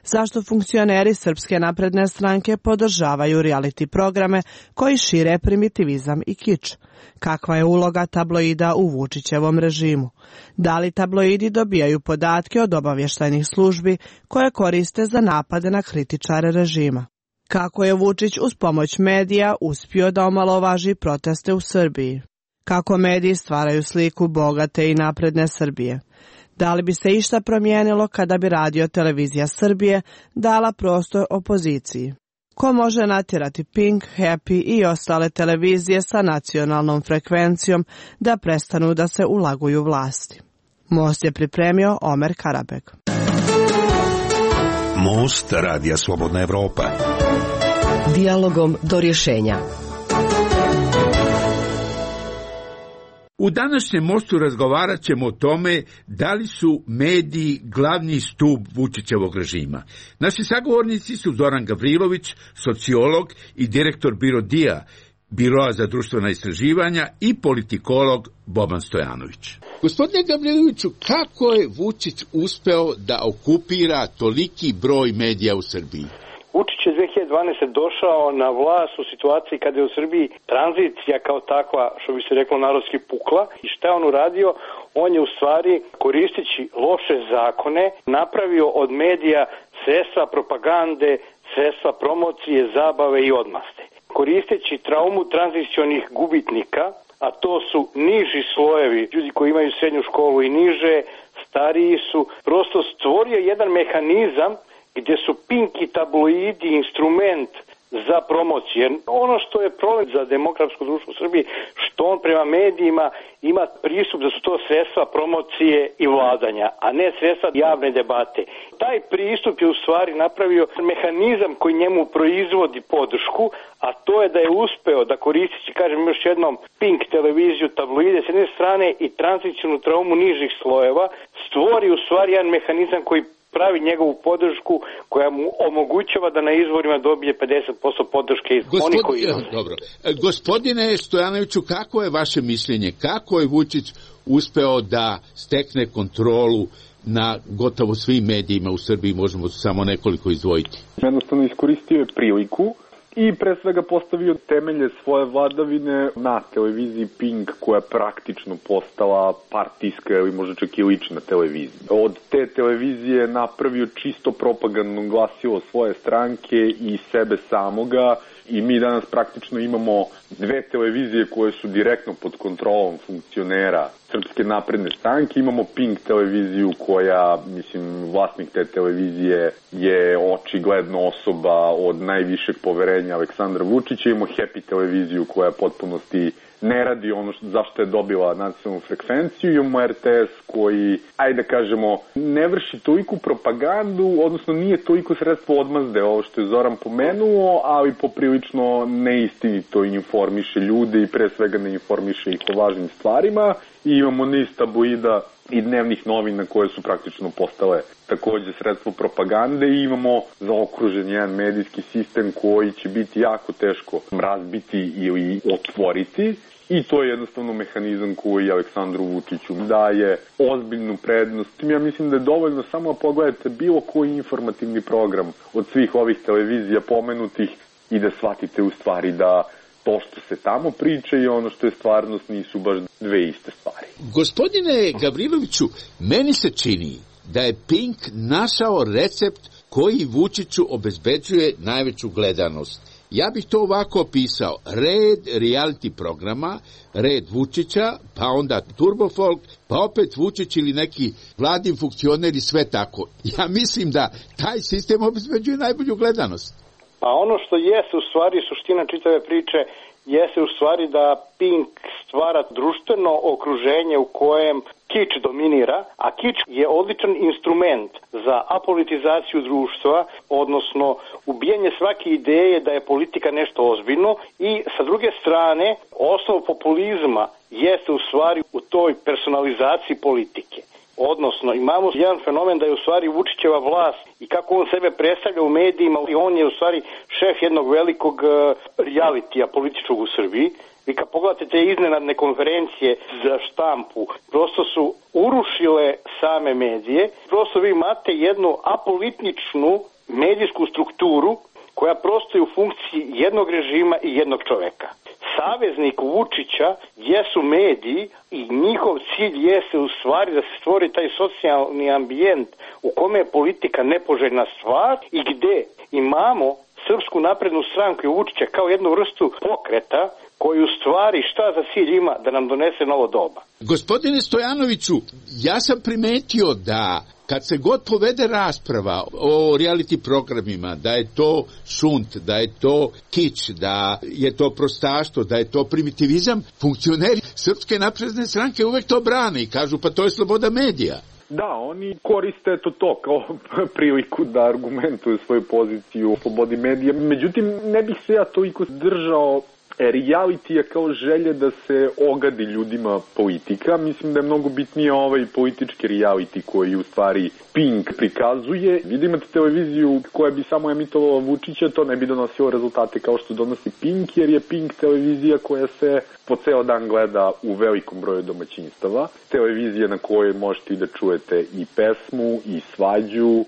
zašto funkcioneri Srpske napredne stranke podržavaju reality programe koji šire primitivizam i kič, kakva je uloga tabloida u Vučićevom režimu, da li tabloidi dobijaju podatke od obavještajnih službi koje koriste za napade na kritičare režima, kako je Vučić uz pomoć medija uspio da omalovaži proteste u Srbiji, kako mediji stvaraju sliku bogate i napredne Srbije. Da li bi se išta promijenilo kada bi Radio Televizija Srbije dala prostor opoziciji? Ko može natjerati Pink, Happy i ostale televizije sa nacionalnom frekvencijom da prestanu da se ulaguju vlasti? Most je pripremio Omer Karabeg. Most Radija Slobodna Evropa. Dijalogom do rješenja. U današnjem Mostu razgovarat ćemo o tome da li su mediji glavni stup Vučićevog režima. Naši sagovornici su Zoran Gavrilović, sociolog i direktor BIRODIA, Biroa za društvena istraživanja, i politikolog Boban Stojanović. Gospodine Gavriloviću, kako je Vučić uspeo da okupira toliki broj medija u Srbiji? Vučić je dve hiljade dvanaeste. došao na vlast u situaciji kada je u Srbiji tranzicija kao takva, što bi se reklo narodski, pukla. I šta je on uradio? On je u stvari, koristeći loše zakone, napravio od medija sredstva propagande, sredstva promocije, zabave i odmaste. Koristeći traumu tranzicionih gubitnika, a to su niži slojevi, ljudi koji imaju srednju školu i niže, stariji su, prosto stvorio jedan mehanizam gdje su Pink i tabloidi instrument za promociju. Ono što je problem za demokratsko društvo u Srbiji, što on prema medijima ima pristup da su to sredstva promocije i vladanja, a ne sredstva javne debate. Taj pristup je u stvari napravio mehanizam koji njemu proizvodi podršku, a to je da je uspeo da koristeći, kažem još jednom, Pink televiziju, tabloide s jedne strane i tranzicionu traumu nižih slojeva, stvori u stvari jedan mehanizam koji pravi njegovu podršku koja mu omogućava da na izborima dobije pedeset posto podrške iz Gospodin, onih koji... Dobro. Gospodine Stojanoviću, kako je vaše mišljenje? Kako je Vučić uspeo da stekne kontrolu na gotovo svim medijima u Srbiji, možemo samo nekoliko izdvojiti? Jednostavno iskoristio je priliku i pre svega postavio temelje svoje vladavine na televiziji Pink, koja je praktično postala partijska ili možda čak i lična televizija. Od te televizije napravio čisto propagandno glasilo svoje stranke i sebe samoga i mi danas praktično imamo dve televizije koje su direktno pod kontrolom funkcionera Srpske napredne stranke, imamo Pink televiziju koja, mislim, vlasnik te televizije je očigledno osoba od najvišeg poverenja Aleksandra Vučića, imamo Happy televiziju koja potpunosti ne radi ono što, zašto je dobila nacionalnu frekvenciju, imamo R T S koji, ajde da kažemo, ne vrši toliko propagandu, odnosno nije toliko sredstvo odmazde, ovo što je Zoran pomenuo, ali poprilično neistinito informiše ljude i pre svega ne informiše ih o važnim stvarima. I imamo niz tabloida i dnevnih novina koje su praktično postale takođe sredstvo propagande i imamo zaokružen jedan medijski sistem koji će biti jako teško razbiti ili otvoriti. I to je jednostavno mehanizam koji Aleksandru Vučiću daje ozbiljnu prednost. Ja mislim da je dovoljno samo pogledate bilo koji informativni program od svih ovih televizija pomenutih i da shvatite u stvari da to što se tamo priča i ono što je stvarnost nisu baš dve iste stvari. Gospodine Gavriloviću, meni se čini da je Pink našao recept koji Vučiću obezbeđuje najveću gledanost. Ja bih to ovako opisao. Red reality programa, red Vučića, pa onda Turbofolk, pa opet Vučić ili neki vladin funkcioner i sve tako. Ja mislim da taj sistem obezbeđuje najbolju gledanost. Pa ono što jeste u stvari suština čitave priče jeste u stvari da Pink stvara društveno okruženje u kojem kič dominira, a kič je odličan instrument za apolitizaciju društva, odnosno ubijanje svake ideje da je politika nešto ozbiljno i sa druge strane osnov populizma jeste u stvari u toj personalizaciji politike. Odnosno, imamo jedan fenomen da je u stvari Vučićeva vlast i kako on sebe predstavlja u medijima, i on je u stvari šef jednog velikog realitija političkog u Srbiji. Vi kad pogledate te iznenadne konferencije za štampu, prosto su urušile same medije. Prosto vi imate jednu apolitičnu medijsku strukturu koja prosto je u funkciji jednog režima i jednog čoveka. Saveznik Vučića jesu mediji i njihov cilj jeste u stvari da se stvori taj socijalni ambijent u kome je politika nepoželjna stvar i gde imamo Srpsku naprednu stranku i Vučića kao jednu vrstu pokreta koji u stvari šta za cilj ima da nam donese novo doba. Gospodine Stojanoviću, ja sam primetio da kad se god povede rasprava o reality programima, da je to šunt, da je to kič, da je to prostaštvo, da je to primitivizam, funkcioneri Srpske napredne stranke uvek to brane i kažu pa to je sloboda medija. Da, oni koriste to to kao priliku da argumentuju svoju poziciju u slobodi medija. Međutim, ne bih se ja toliko držao realitija kao želje da se ogadi ljudima politika. Mislim da je mnogo bitnije ovaj politički reality koji u stvari Pink prikazuje. Vi da imate televiziju koja bi samo emitovala Vučića, to ne bi donosilo rezultate kao što donosi Pink, jer je Pink televizija koja se po ceo dan gleda u velikom broju domaćinstava. Televizija na kojoj možete i da čujete i pesmu, i svađu,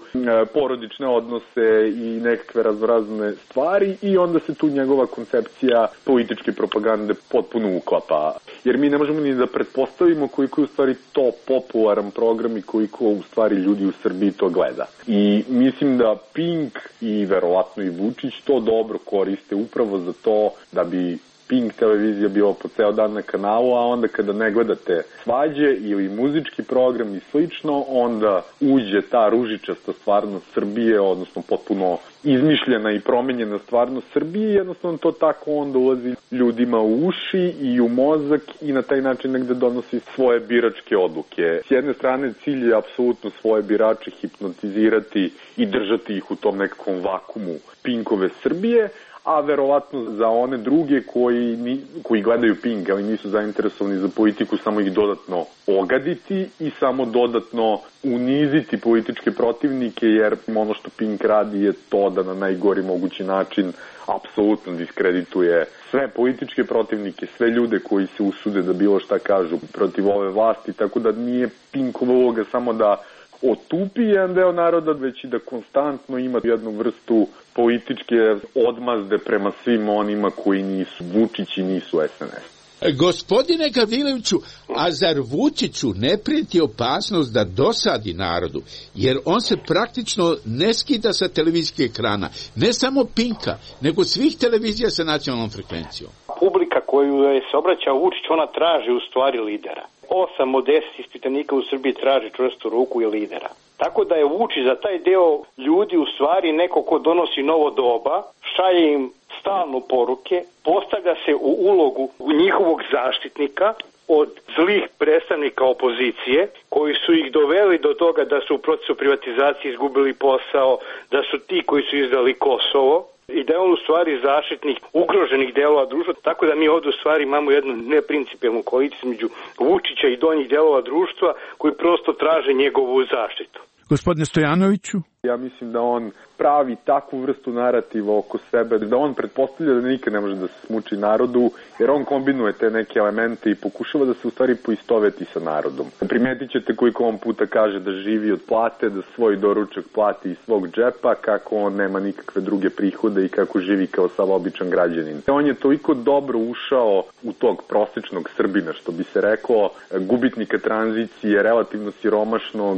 porodične odnose i nekakve raznorazne stvari i onda se tu njegova koncepcija političke propagande potpuno uklapa. Jer mi ne možemo ni da pretpostavimo koliko je u stvari to popularan program i koliko u stvari ljudi u Srbiji to gleda. I mislim da Pink i verovatno i Vučić to dobro koriste upravo za to da bi Pink televizija bila po ceo dan na kanalu, a onda kada ne gledate svađe ili muzički program i slično, onda uđe ta ružičasta stvarnost Srbije, odnosno potpuno izmišljena i promenjena stvarnost Srbije i jednostavno to tako onda ulazi ljudima u uši i u mozak i na taj način negde donosi svoje biračke odluke. S jedne strane cilj je apsolutno svoje birače hipnotizirati i držati ih u tom nekakvom vakumu Pinkove Srbije, a verovatno za one druge koji, ni, koji gledaju Pink, ali nisu zainteresovani za politiku, samo ih dodatno ogaditi i samo dodatno uniziti političke protivnike, jer ono što Pink radi je to da na najgori mogući način apsolutno diskredituje sve političke protivnike, sve ljude koji se usude da bilo šta kažu protiv ove vlasti, tako da nije Pinkova uloga samo da otupi jedan deo naroda, već i da konstantno ima jednu vrstu političke odmazde prema svim onima koji nisu Vučić i nisu S N S. Gospodine Gavriloviću, a zar Vučiću ne prijeti opasnost da dosadi narodu, jer on se praktično ne skida sa televizijskih ekrana, ne samo Pinka, nego svih televizija sa nacionalnom frekvencijom? publika koju je se obraćao Vučić, ona traži u stvari lidera. Osam od deset ispitanika u Srbiji traži čvrstu ruku i lidera. Tako da je Vučić za taj deo ljudi u stvari neko ko donosi novo doba, šalje im stalno poruke, postavlja se u ulogu njihovog zaštitnika od zlih predstavnika opozicije, koji su ih doveli do toga da su u procesu privatizacije izgubili posao, da su ti koji su izdali Kosovo, i da je on u stvari zaštitnik ugroženih delova društva, tako da mi ovdje u stvari imamo jednu neprincipijelnu koaliciju među Vučića i donjih delova društva koji prosto traže njegovu zaštitu. Gospodine Stojanoviću? Ja mislim da on pravi takvu vrstu narativa oko sebe, da on pretpostavlja da nikad ne može da se smuči narodu, jer on kombinuje te neke elemente i pokušava da se u stvari poistoveti sa narodom. Primetit ćete koliko on puta kaže da živi od plate, da svoj doručak plati iz svog džepa, kako on nema nikakve druge prihode i kako živi kao sav običan građanin. On je toliko dobro ušao u tog prosečnog Srbina, što bi se reklo, gubitnika tranzicije, relativno siromašnog,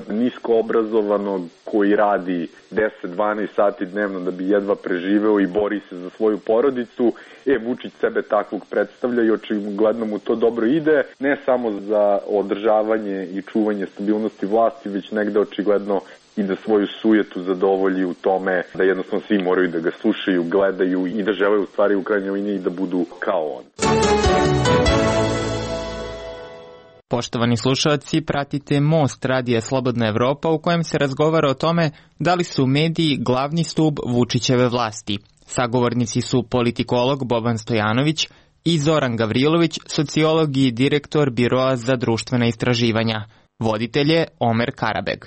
nisko obrazovanog, koji radi deset dvanaest sati dnevno da bi jedva preživeo i bori se za svoju porodicu. E, Vučić sebe takvog predstavlja i očigledno mu to dobro ide, ne samo za održavanje i čuvanje stabilnosti vlasti, već negde očigledno i da svoju sujetu zadovolji u tome da jednostavno svi moraju da ga slušaju, gledaju i da žele u stvari u krajnjoj liniji da budu kao on. Poštovani slušalci, pratite Most Radija Slobodna Evropa u kojem se razgovara o tome da li su mediji glavni stub Vučićeve vlasti. Sagovornici su politikolog Boban Stojanović i Zoran Gavrilović, sociolog i direktor Biroa za društvena istraživanja. Voditelj je Omer Karabeg.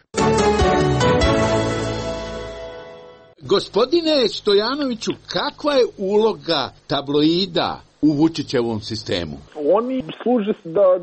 Gospodine Stojanoviću, kakva je uloga tabloida u Vučićevom sistemu? Oni služe da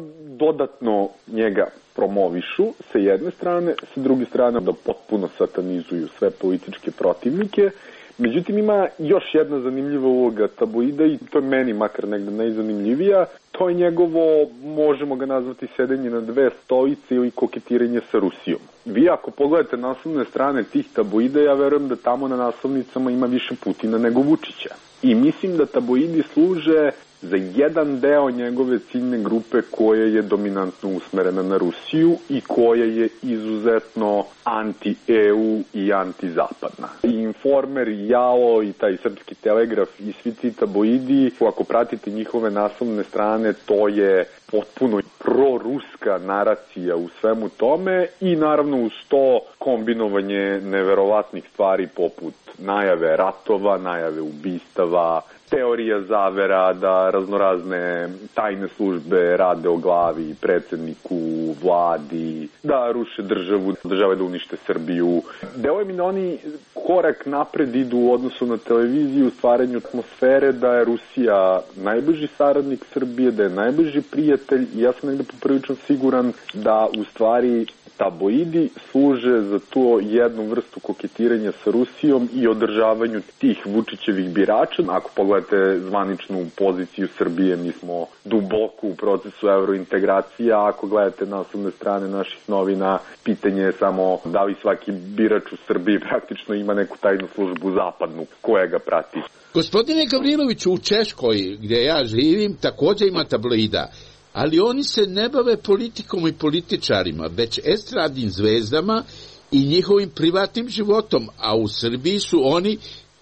dodatno njega promovišu sa jedne strane, sa druge strane da potpuno satanizuju sve političke protivnike. Međutim, ima još jedna zanimljiva uloga tabloida i to je meni makar negde najzanimljivija. To je njegovo, možemo ga nazvati, sedenje na dve stolice ili koketiranje sa Rusijom. Vi ako pogledate naslovne strane tih tabloida, ja verujem da tamo na naslovnicama ima više Putina nego Vučića. I mislim da tabloidi služe za jedan deo njegove ciljne grupe koja je dominantno usmerena na Rusiju i koja je izuzetno anti-E U i anti-zapadna. I Informer, i Jalo, i taj Srpski telegraf i svi ti tabloidi, ako pratite njihove naslovne strane, to je potpuno proruska naracija u svemu tome i naravno uz to kombinovanje neverovatnih stvari poput najave ratova, najave ubistava, teorija zavera da raznorazne tajne službe rade o glavi predsjedniku, vladi, da ruše državu, države da unište Srbiju. Deluje mi da oni korak napred idu u odnosu na televiziju u stvaranju atmosfere da je Rusija najbliži saradnik Srbije, da je najbliži prijatelj i ja sam negde poprilično siguran da u stvari tabloidi služe za to jednu vrstu koketiranja sa Rusijom i održavanju tih Vučićevih birača. Ako pogledate zvaničnu poziciju Srbije, mi smo duboko u procesu evrointegracija, a ako gledate naslovne strane naših novina, pitanje je samo da li svaki birač u Srbiji praktično ima neku tajnu službu zapadnu koja ga prati. Gospodine Gavriloviću, u Češkoj, gdje ja živim, također ima tabloida. Ali oni se ne bave politikom i političarima, već estradnim zvezdama i njihovim privatnim životom, a u Srbiji su oni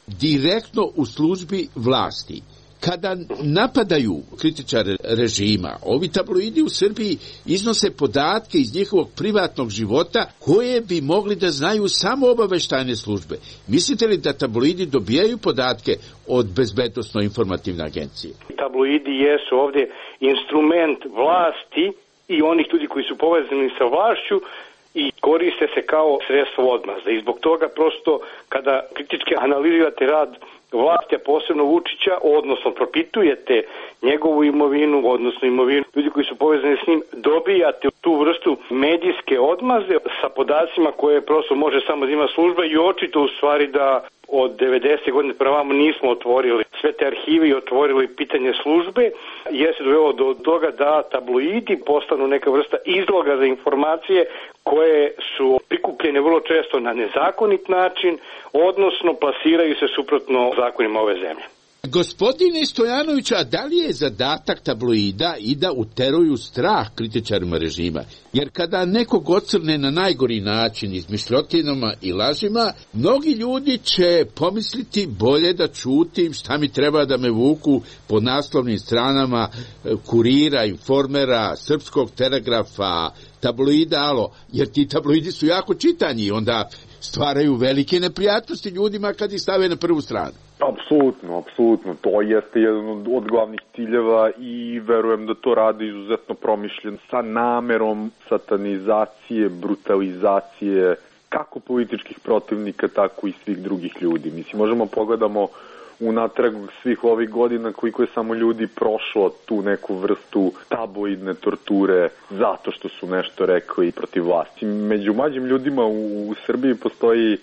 direktno u službi vlasti. Kada napadaju kritičare režima, ovi tabloidi u Srbiji iznose podatke iz njihovog privatnog života koje bi mogli da znaju samo obaveštajne službe. Mislite li da tabloidi dobijaju podatke od bezbednosno-informativne agencije? Tabloidi jesu ovdje instrument vlasti i onih ljudi koji su povezani sa vlašću i koriste se kao sredstvo odmazda. I zbog toga prosto kada kritički analizirate rad vlasti, a posebno Vučića, odnosno propitujete njegovu imovinu, odnosno imovinu ljudi koji su povezani s njim, dobijate tu vrstu medijske odmazde sa podacima koje prosto može samo da ima služba i očito u stvari da od devedesetih godine prema vamo nismo otvorili sve te arhive i otvorili pitanje službe, jer se dovelo do toga da tabloidi postanu neka vrsta izloga za informacije koje su prikupljene vrlo često na nezakonit način, odnosno plasiraju se suprotno zakonima ove zemlje. Gospodine Stojanović, a da li je zadatak tabloida i da uteruju strah kritičarima režima? Jer kada nekog ocrne na najgori način izmišljotinama i lažima, mnogi ljudi će pomisliti bolje da čutim, šta mi treba da me vuku po naslovnim stranama Kurira, Informera, Srpskog telegrafa, tabloida, alo, jer ti tabloidi su jako čitani i onda stvaraju velike neprijatnosti ljudima kad ih stave na prvu stranu. Apsolutno, apsolutno. To jeste jedan od, od glavnih ciljeva i verujem da to radi izuzetno promišljen sa namerom satanizacije, brutalizacije kako političkih protivnika, tako i svih drugih ljudi. Mislim, možemo pogledamo unatrag svih ovih godina koliko je samo ljudi prošlo tu neku vrstu tabloidne torture zato što su nešto rekli protiv vlasti. Među mlađim ljudima u, u Srbiji postoji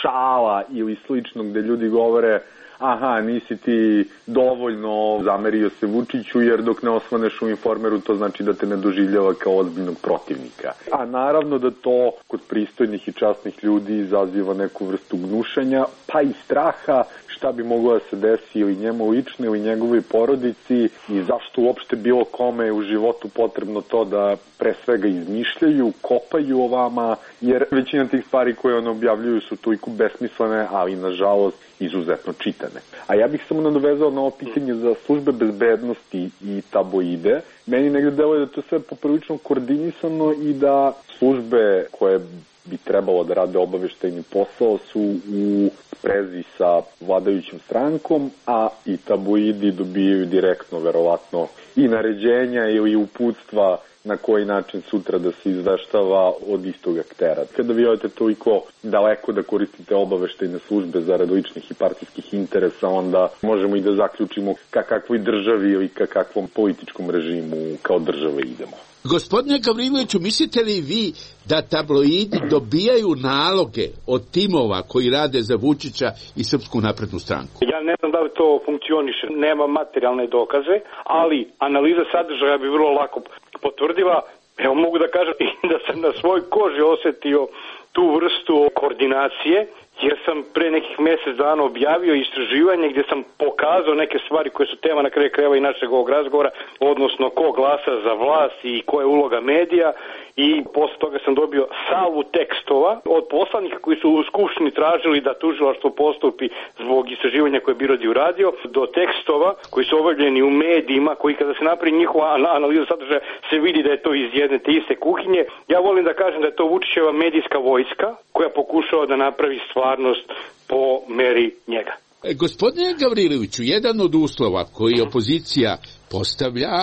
šala ili slično gde ljudi govore aha, nisi ti dovoljno zamerio se Vučiću jer dok ne osvaneš u Informeru to znači da te ne doživljava kao ozbiljnog protivnika. A naravno da to kod pristojnih i časnih ljudi izaziva neku vrstu gnušanja pa i straha šta bi moglo da se desi ili njemu lično ili njegovoj porodici i zašto uopšte bilo kome je u životu potrebno to da pre svega izmišljaju, kopaju o vama, jer većina tih stvari koje one objavljuju su toliko besmislene, ali nažalost izuzetno čitane. A ja bih samo nadovezao na ovo pitanje za službe bezbednosti i tabloide. Meni negde deluje da to sve poprilično koordinisano i da službe koje bi trebalo da rade obaveštajni posao su u sprezi sa vladajućim strankom, a i tabloidi dobijaju direktno, verovatno, i naređenja ili uputstva na koji način sutra da se izveštava od istog aktera. Kada vi odete toliko daleko da koristite obaveštajne službe zarad ličnih i partijskih interesa, onda možemo i da zaključimo ka kakvoj državi ili ka kakvom političkom režimu kao države idemo. Gospodine Gavriloviću, mislite li vi da tabloidi dobijaju naloge od timova koji rade za Vučića i Srpsku naprednu stranku? Ja ne znam da li to funkcioniše, nema materijalne dokaze, ali analiza sadržaja bi vrlo lako potvrdila. Evo mogu da kažem da sam na svoj koži osetio tu vrstu koordinacije, jer sam pre nekih mjesec dana objavio istraživanje gdje sam pokazao neke stvari koje su tema na kraju krajeva i našeg ovog razgovora, odnosno ko glasa za vlast i koja je uloga medija, i posle toga sam dobio salvu tekstova od poslanika koji su u Skupštini tražili da tužilaštvo postupi zbog istraživanja koje je Birodi uradio, do tekstova koji su objavljeni u medijima, koji kada se napravi njihova analiza sadržaja se vidi da je to iz jedne te iste kuhinje. Ja volim da kažem da je to Vučićeva medijska vojska koja pokušava da napravi stvarnost po meri njega. E, gospodine Gavriloviću, jedan od uslova koji opozicija postavlja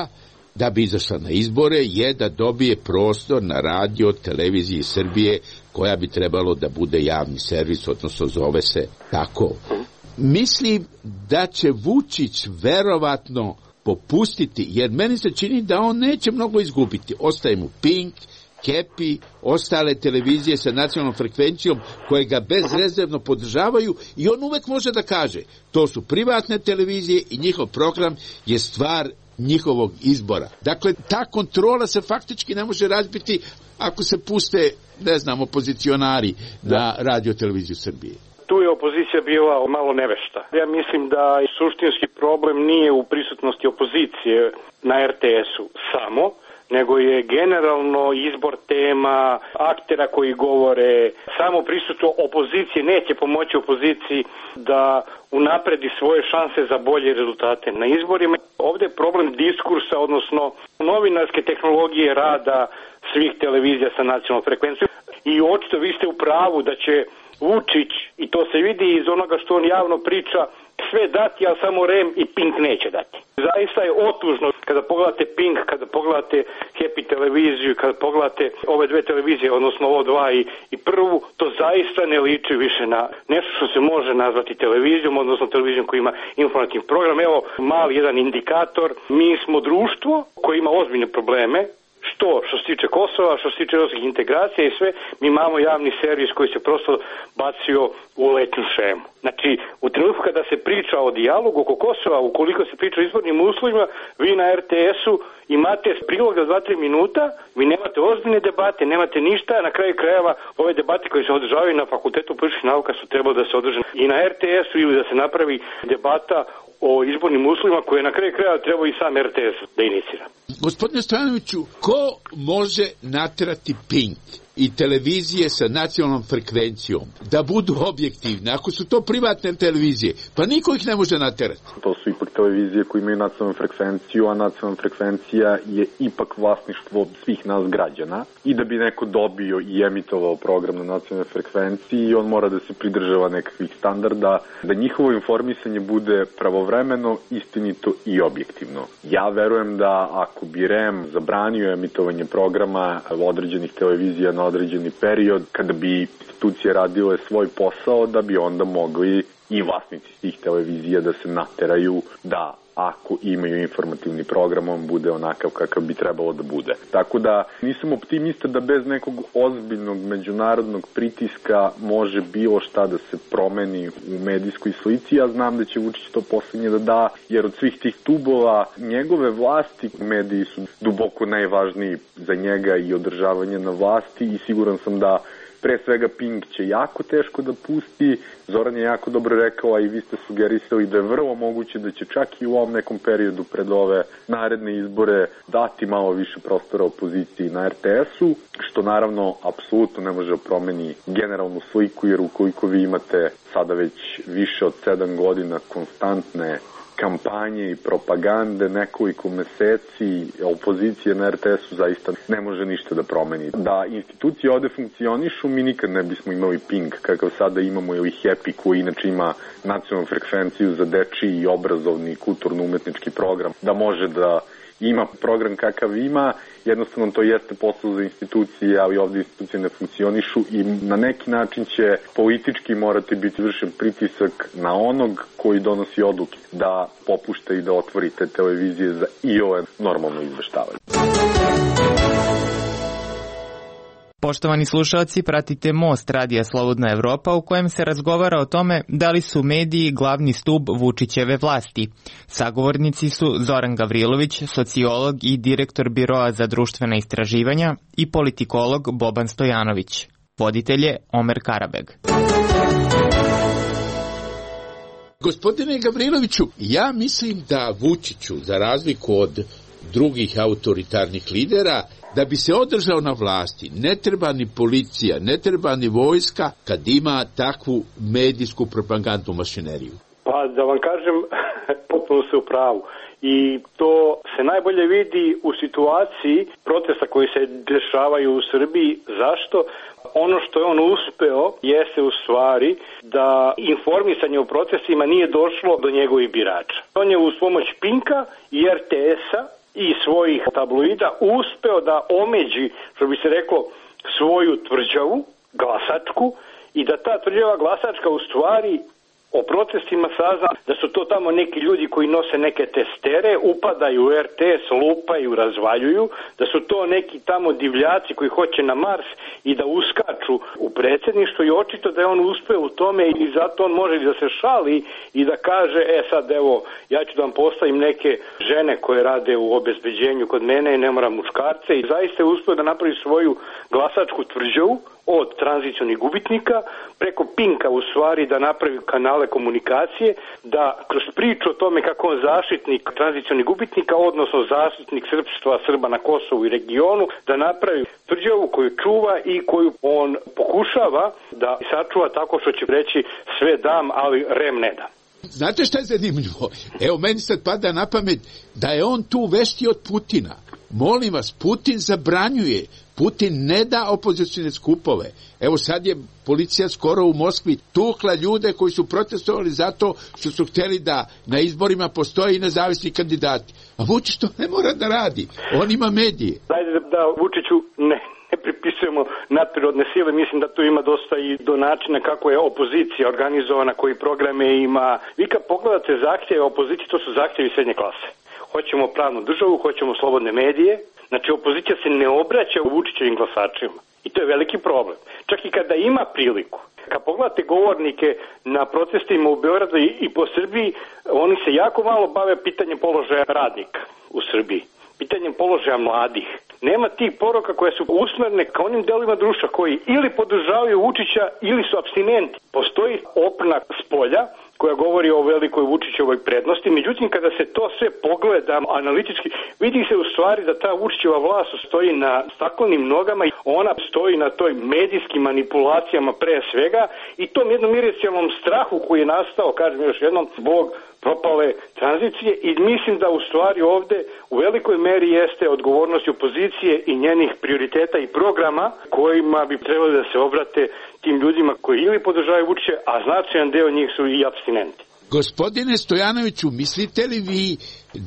da bi izašla na izbore je da dobije prostor na radio televiziji Srbije koja bi trebalo da bude javni servis, odnosno zove se tako. Mislim da će Vučić verovatno popustiti, jer meni se čini da on neće mnogo izgubiti. Ostaje mu Pink, Kepi, ostale televizije sa nacionalnom frekvencijom koje ga bezrezervno podržavaju i on uvek može da kaže to su privatne televizije i njihov program je stvar njihovog izbora. Dakle, ta kontrola se faktički ne može razbiti ako se puste, ne znam, opozicionari na radio televiziju Srbije. Tu je opozicija bila malo nevešta. Ja mislim da suštinski problem nije u prisutnosti opozicije na er te esu samo, nego je generalno izbor tema, aktera koji govore, samo prisustvo opozicije neće pomoći opoziciji da unapredi svoje šanse za bolje rezultate na izborima. Ovdje je problem diskursa, odnosno novinarske tehnologije rada svih televizija sa nacionalnom frekvencijom. I očito vi ste u pravu da će Vučić, i to se vidi iz onoga što on javno priča, sve dati, ali samo Rem i Pink neće dati. Zaista je otužno kada pogledate Pink, kada pogledate Happy televiziju, kada pogledate ove dve televizije, odnosno ovo dva i, i prvu, to zaista ne liči više na nešto što se može nazvati televizijom, odnosno televizijom koja ima informativni program. Evo mali jedan indikator, mi smo društvo koje ima ozbiljne probleme, što što se tiče Kosova, što se tiče europskih integracija i sve, mi imamo javni servis koji se prosto bacio u letnju šemu. Znači, u trenutku kada se priča o dijalogu oko Kosova, ukoliko se priča o izbornim uslovima, vi na er te esu imate prilog za dva tri minuta, vi nemate ozbiljne debate, nemate ništa, na kraju krajeva ove debate koje se održavaju na Fakultetu političkih nauka su trebalo da se održe i na er te esu ili da se napravi debata o izbornim uslovima koje na kraju krajeva treba i sam er te es da inicira. Gospodine Stojanoviću, ko može naterati Pink i televizije sa nacionalnom frekvencijom da budu objektivne, ako su to privatne televizije, pa niko ih ne može naterati. To su ipak televizije koje imaju nacionalnu frekvenciju, a nacionalna frekvencija je ipak vlasništvo svih nas građana i da bi neko dobio i emitovao program na nacionalnoj frekvenciji, on mora da se pridržava nekakvih standarda, da njihovo informisanje bude pravovremeno, istinito i objektivno. Ja verujem da ako bi R E M zabranio emitovanje programa određenih televizija na određeni period, kada bi institucije radile svoj posao, da bi onda mogli i vlasnici tih televizija da se nateraju da ako imaju informativni program, on bude onakav kakav bi trebalo da bude. Tako da nisam optimista da bez nekog ozbiljnog međunarodnog pritiska može bilo šta da se promeni u medijskoj slici. Ja znam da će Vučić to poslednje da da, jer od svih tih tubova njegove vlasti mediji su duboko najvažniji za njega i održavanje na vlasti i siguran sam da pre svega Pink će jako teško da pusti. Zoran je jako dobro rekao, a i vi ste sugerisali da je vrlo moguće da će čak i u ovom nekom periodu pred ove naredne izbore dati malo više prostora opoziciji na er te esu, što naravno apsolutno ne može promeni generalnu sliku, jer ukoliko vi imate sada već više od sedam godina konstantne kampanje i propagande nekoliko meseci opozicije na er te esu zaista ne može ništa da promeni. Da institucije ovde funkcionišu, mi nikad ne bismo imali Pink kakav sada imamo ili Happy koji inače ima nacionalnu frekvenciju za dečiji i obrazovni kulturno-umetnički program, da može da ima program kakav ima, jednostavno to jeste posao za institucije, ali ovdje institucije ne funkcionišu i na neki način će politički morati biti vršen pritisak na onog koji donosi odluke da popušta i da otvori te televizije za i ove normalno izveštavanje. Poštovani slušalci, pratite Most radija Slobodna Evropa u kojem se razgovara o tome da li su mediji glavni stub Vučićeve vlasti. Sagovornici su Zoran Gavrilović, sociolog i direktor Biroa za društvena istraživanja i politikolog Boban Stojanović. Voditelj je Omer Karabeg. Gospodine Gavriloviću, ja mislim da Vučiću, za razliku od drugih autoritarnih lidera, da bi se održao na vlasti, ne treba ni policija, ne treba ni vojska kad ima takvu medijsku propagandnu mašineriju. Pa da vam kažem, potpuno se u pravu. I to se najbolje vidi u situaciji protesta koji se dešavaju u Srbiji. Zašto? Ono što je on uspeo jeste u stvari da informisanje o protestima nije došlo do njegovih birača. On je uz pomoć Pinka i er te esa i svojih tabloida uspeo da omeđi, što bi se reklo, svoju tvrđavu, glasačku, i da ta tvrđava glasačka u stvari o protestima sazna da su to tamo neki ljudi koji nose neke testere, upadaju u er te es, lupaju, razvaljuju, da su to neki tamo divljaci koji hoće na Mars i da uskaču u predsjedništvo i očito da je on uspeo u tome i zato on može da se šali i da kaže, e sad evo, ja ću da vam postavim neke žene koje rade u obezbeđenju kod mene i ne moram muškarce i zaista je uspeo da napravi svoju glasačku tvrđavu od tranzicionih gubitnika preko Pinka u stvari da napravi kanale komunikacije, da kroz priču o tome kako on zaštitnik tranzicionih gubitnika, odnosno zaštitnik srpstva, Srba na Kosovu i regionu, da napravi tvrđavu koju čuva i koju on pokušava da sačuva tako što će reći sve dam, ali rem ne dam. Znate šta je zanimljivo? Evo, meni sad pada na pamet da je on tu vešti od Putina. Molim vas, Putin zabranjuje, Putin ne da opozicijne skupove. Evo sad je policija skoro u Moskvi tukla ljude koji su protestovali zato što su htjeli da na izborima postoje i nezavisni kandidati. A Vučić to ne mora da radi, on ima medije. Dajde da Vučiću ne, ne pripisujemo nadprirodne sile, mislim da tu ima dosta i do načina kako je opozicija organizovana, koji programe ima. Vi kad pogledate zahtjeve opozicije, to su zahtjevi srednje klase. Hoćemo pravnu državu, hoćemo slobodne medije. Znači, opozicija se ne obraća u Vučićevim glasačima. I to je veliki problem. Čak i kada ima priliku. Kad pogledate govornike na protestima u Beogradu i po Srbiji, oni se jako malo bave pitanjem položaja radnika u Srbiji. Pitanje poboljšanjem položaja mladih. Nema tih poruka koje su usmerne ka onim delovima društva koji ili podržavaju Vučića ili su apstinenti. Postoji opna spolja koja govori o velikoj Vučićevoj prednosti, međutim kada se to sve pogleda analitički, vidi se u stvari da ta Vučićeva vlast stoji na staklenim nogama i ona stoji na toj medijskim manipulacijama pre svega i tom jednom iracionalnom strahu koji je nastao, kažem još jednom, zbog propale tranzicije i mislim da u stvari ovde u velikoj meri jeste odgovornost opozicije i njenih prioriteta i programa kojima bi trebali da se obrate tim ljudima koji ili podržavaju Vučića, a značajan deo njih su i apstinenti. Gospodine Stojanoviću, mislite li vi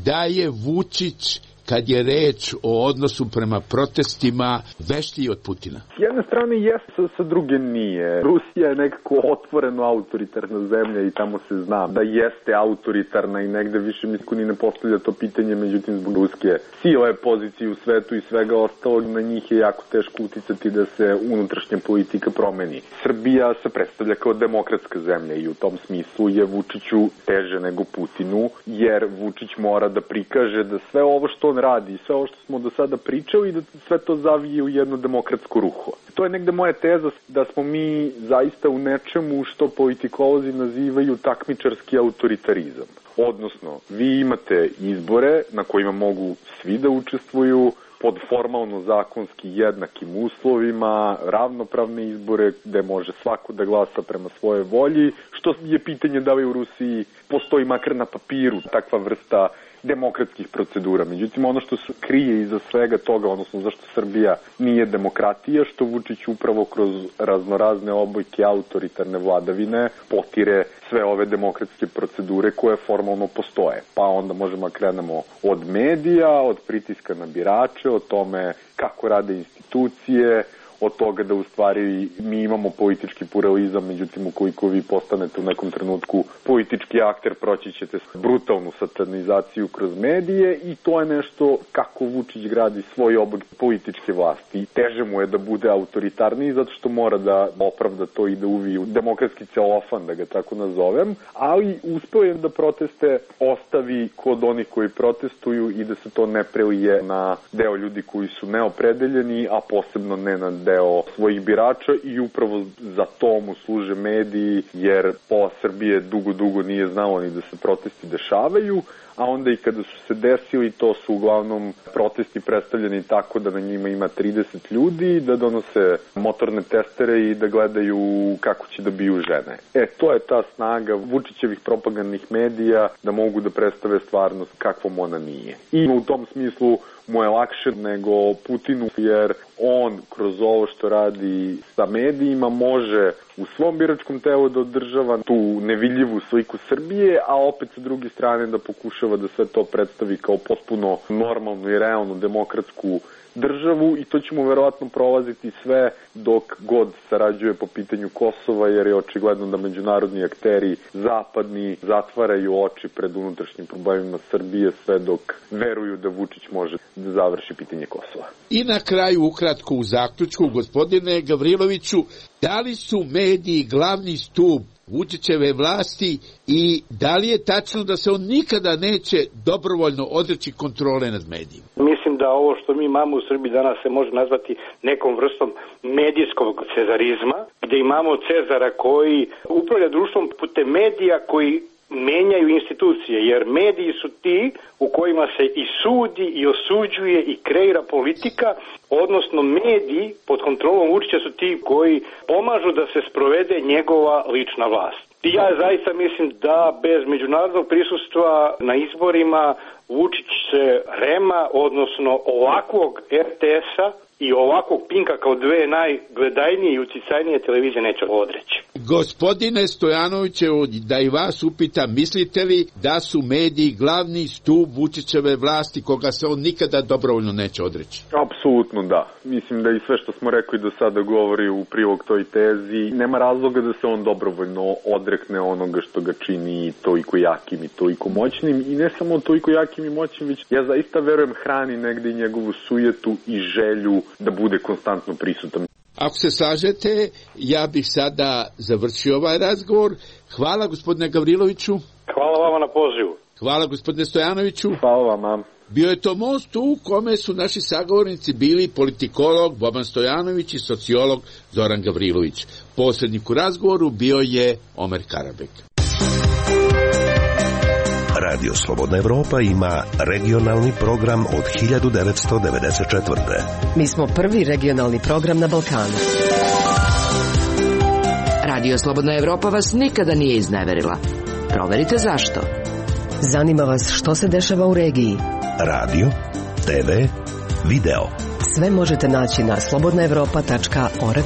da je Vučić, kad je reč o odnosu prema protestima, veštiji od Putina? S jedne strane jeste, sa druge nije. Rusija je nekako otvoreno autoritarna zemlja i tamo se zna da jeste autoritarna i negde više niko ni ne postavlja to pitanje, međutim zbog ruske sile, pozicije u svetu i svega ostalog, na njih je jako teško uticati da se unutrašnja politika promeni. Srbija se predstavlja kao demokratska zemlja i u tom smislu je Vučiću teže nego Putinu, jer Vučić mora da prikaže da sve ovo što on radi, sve ovo što smo do sada pričali i da sve to zavije u jedno demokratsko ruho. To je negde moja teza da smo mi zaista u nečemu što politikolozi nazivaju takmičarski autoritarizam. Odnosno, vi imate izbore na kojima mogu svi da učestvuju, pod formalno zakonski jednakim uslovima, ravnopravne izbore gde može svako da glasa prema svoje volji, što je pitanje da li u Rusiji postoji makar na papiru takva vrsta demokratskih procedura. Međutim, ono što se krije iza svega toga, odnosno zašto Srbija nije demokratija, što Vučić upravo kroz raznorazne obojke autoritarne vladavine potire sve ove demokratske procedure koje formalno postoje. Pa onda možemo krenemo od medija, od pritiska na birače, o tome kako rade institucije, od toga da u stvari mi imamo politički pluralizam, međutim ukoliko vi postanete u nekom trenutku politički akter, proći ćete brutalnu satanizaciju kroz medije i to je nešto kako Vučić gradi svoj oblik političke vlasti. Teže mu je da bude autoritarniji zato što mora da opravda to i da uvi u demokratski celofan, da ga tako nazovem, ali uspeo je da proteste ostavi kod onih koji protestuju i da se to ne prelije na deo ljudi koji su neopredeljeni, a posebno ne na deo svojih birača i upravo za to mu služe mediji, jer pola Srbije dugo, dugo nije znalo ni da se protesti dešavaju, a onda i kada su se desili, to su uglavnom protesti predstavljeni tako da na njima ima trideset ljudi, da donose motorne testere i da gledaju kako će da biju žene. E, to je ta snaga Vučićevih propagandnih medija da mogu da predstave stvarnost kakvom ona nije. I u tom smislu mu je lakše nego Putinu, jer on kroz ovo što radi sa medijima može u svom biračkom telu da održava tu nevidljivu sliku Srbije, a opet sa druge strane da pokušava da sve to predstavi kao potpuno normalnu i realnu demokratsku državu i to ćemo verovatno prolaziti sve dok god sarađuje po pitanju Kosova, jer je očigledno da međunarodni akteri zapadni zatvaraju oči pred unutrašnjim problemima Srbije sve dok veruju da Vučić može da završi pitanje Kosova. I na kraju ukratko u zaključku, gospodine Gavriloviću, da li su mediji glavni stup Vučićeve vlasti i da li je tačno da se on nikada neće dobrovoljno odreći kontrole nad medijima? Mislim da ovo što mi imamo u Srbiji danas se može nazvati nekom vrstom medijskog cezarizma, gde imamo Cezara koji upravlja društvom putem medija koji menjaju institucije, jer mediji su ti u kojima se i sudi i osuđuje i kreira politika, odnosno mediji pod kontrolom Vučića su ti koji pomažu da se sprovede njegova lična vlast. I ja zaista mislim da bez međunarodnog prisustva na izborima Vučić se Rema, odnosno ovakvog er te es-a i ovakvog Pinka kao dve najgledajnije i uticajnije televizije neće odreći. Gospodine Stojanovićevo, da i vas upitam, mislite li da su mediji glavni stup Vučićeve vlasti koga se on nikada dobrovoljno neće odreći? Apsolutno da. Mislim da i sve što smo rekli do sada govori u prilog toj tezi. Nema razloga da se on dobrovoljno odrekne onoga što ga čini toliko jakim i toliko moćnim. I ne samo toliko jakim i moćnim, već ja zaista verujem hrani negde i njegovu sujetu i želju da bude konstantno prisutan. Ako se slažete, ja bih sada završio ovaj razgovor. Hvala gospodine Gavriloviću. Hvala vama na pozivu. Hvala gospodine Stojanoviću. Hvala vama. Bio je to most u kome su naši sagovornici bili politikolog Boban Stojanović i sociolog Zoran Gavrilović. Posrednik u razgovoru bio je Omer Karabek. Radio Slobodna Evropa ima regionalni program od hiljadu devetsto devedeset četvrte. Mi smo prvi regionalni program na Balkanu. Radio Slobodna Evropa vas nikada nije izneverila. Proverite zašto. Zanima vas što se dešava u regiji. Radio, te ve, video. Sve možete naći na slobodna evropa tačka org.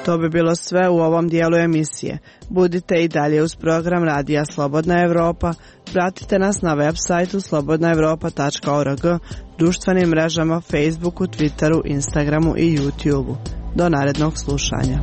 To bi bilo sve u ovom dijelu emisije. Budite i dalje uz program Radija Slobodna Evropa. Pratite nas na web sajtu slobodna evropa tačka org, društvenim mrežama Facebooku, Twitteru, Instagramu i YouTubeu. Do narednog slušanja.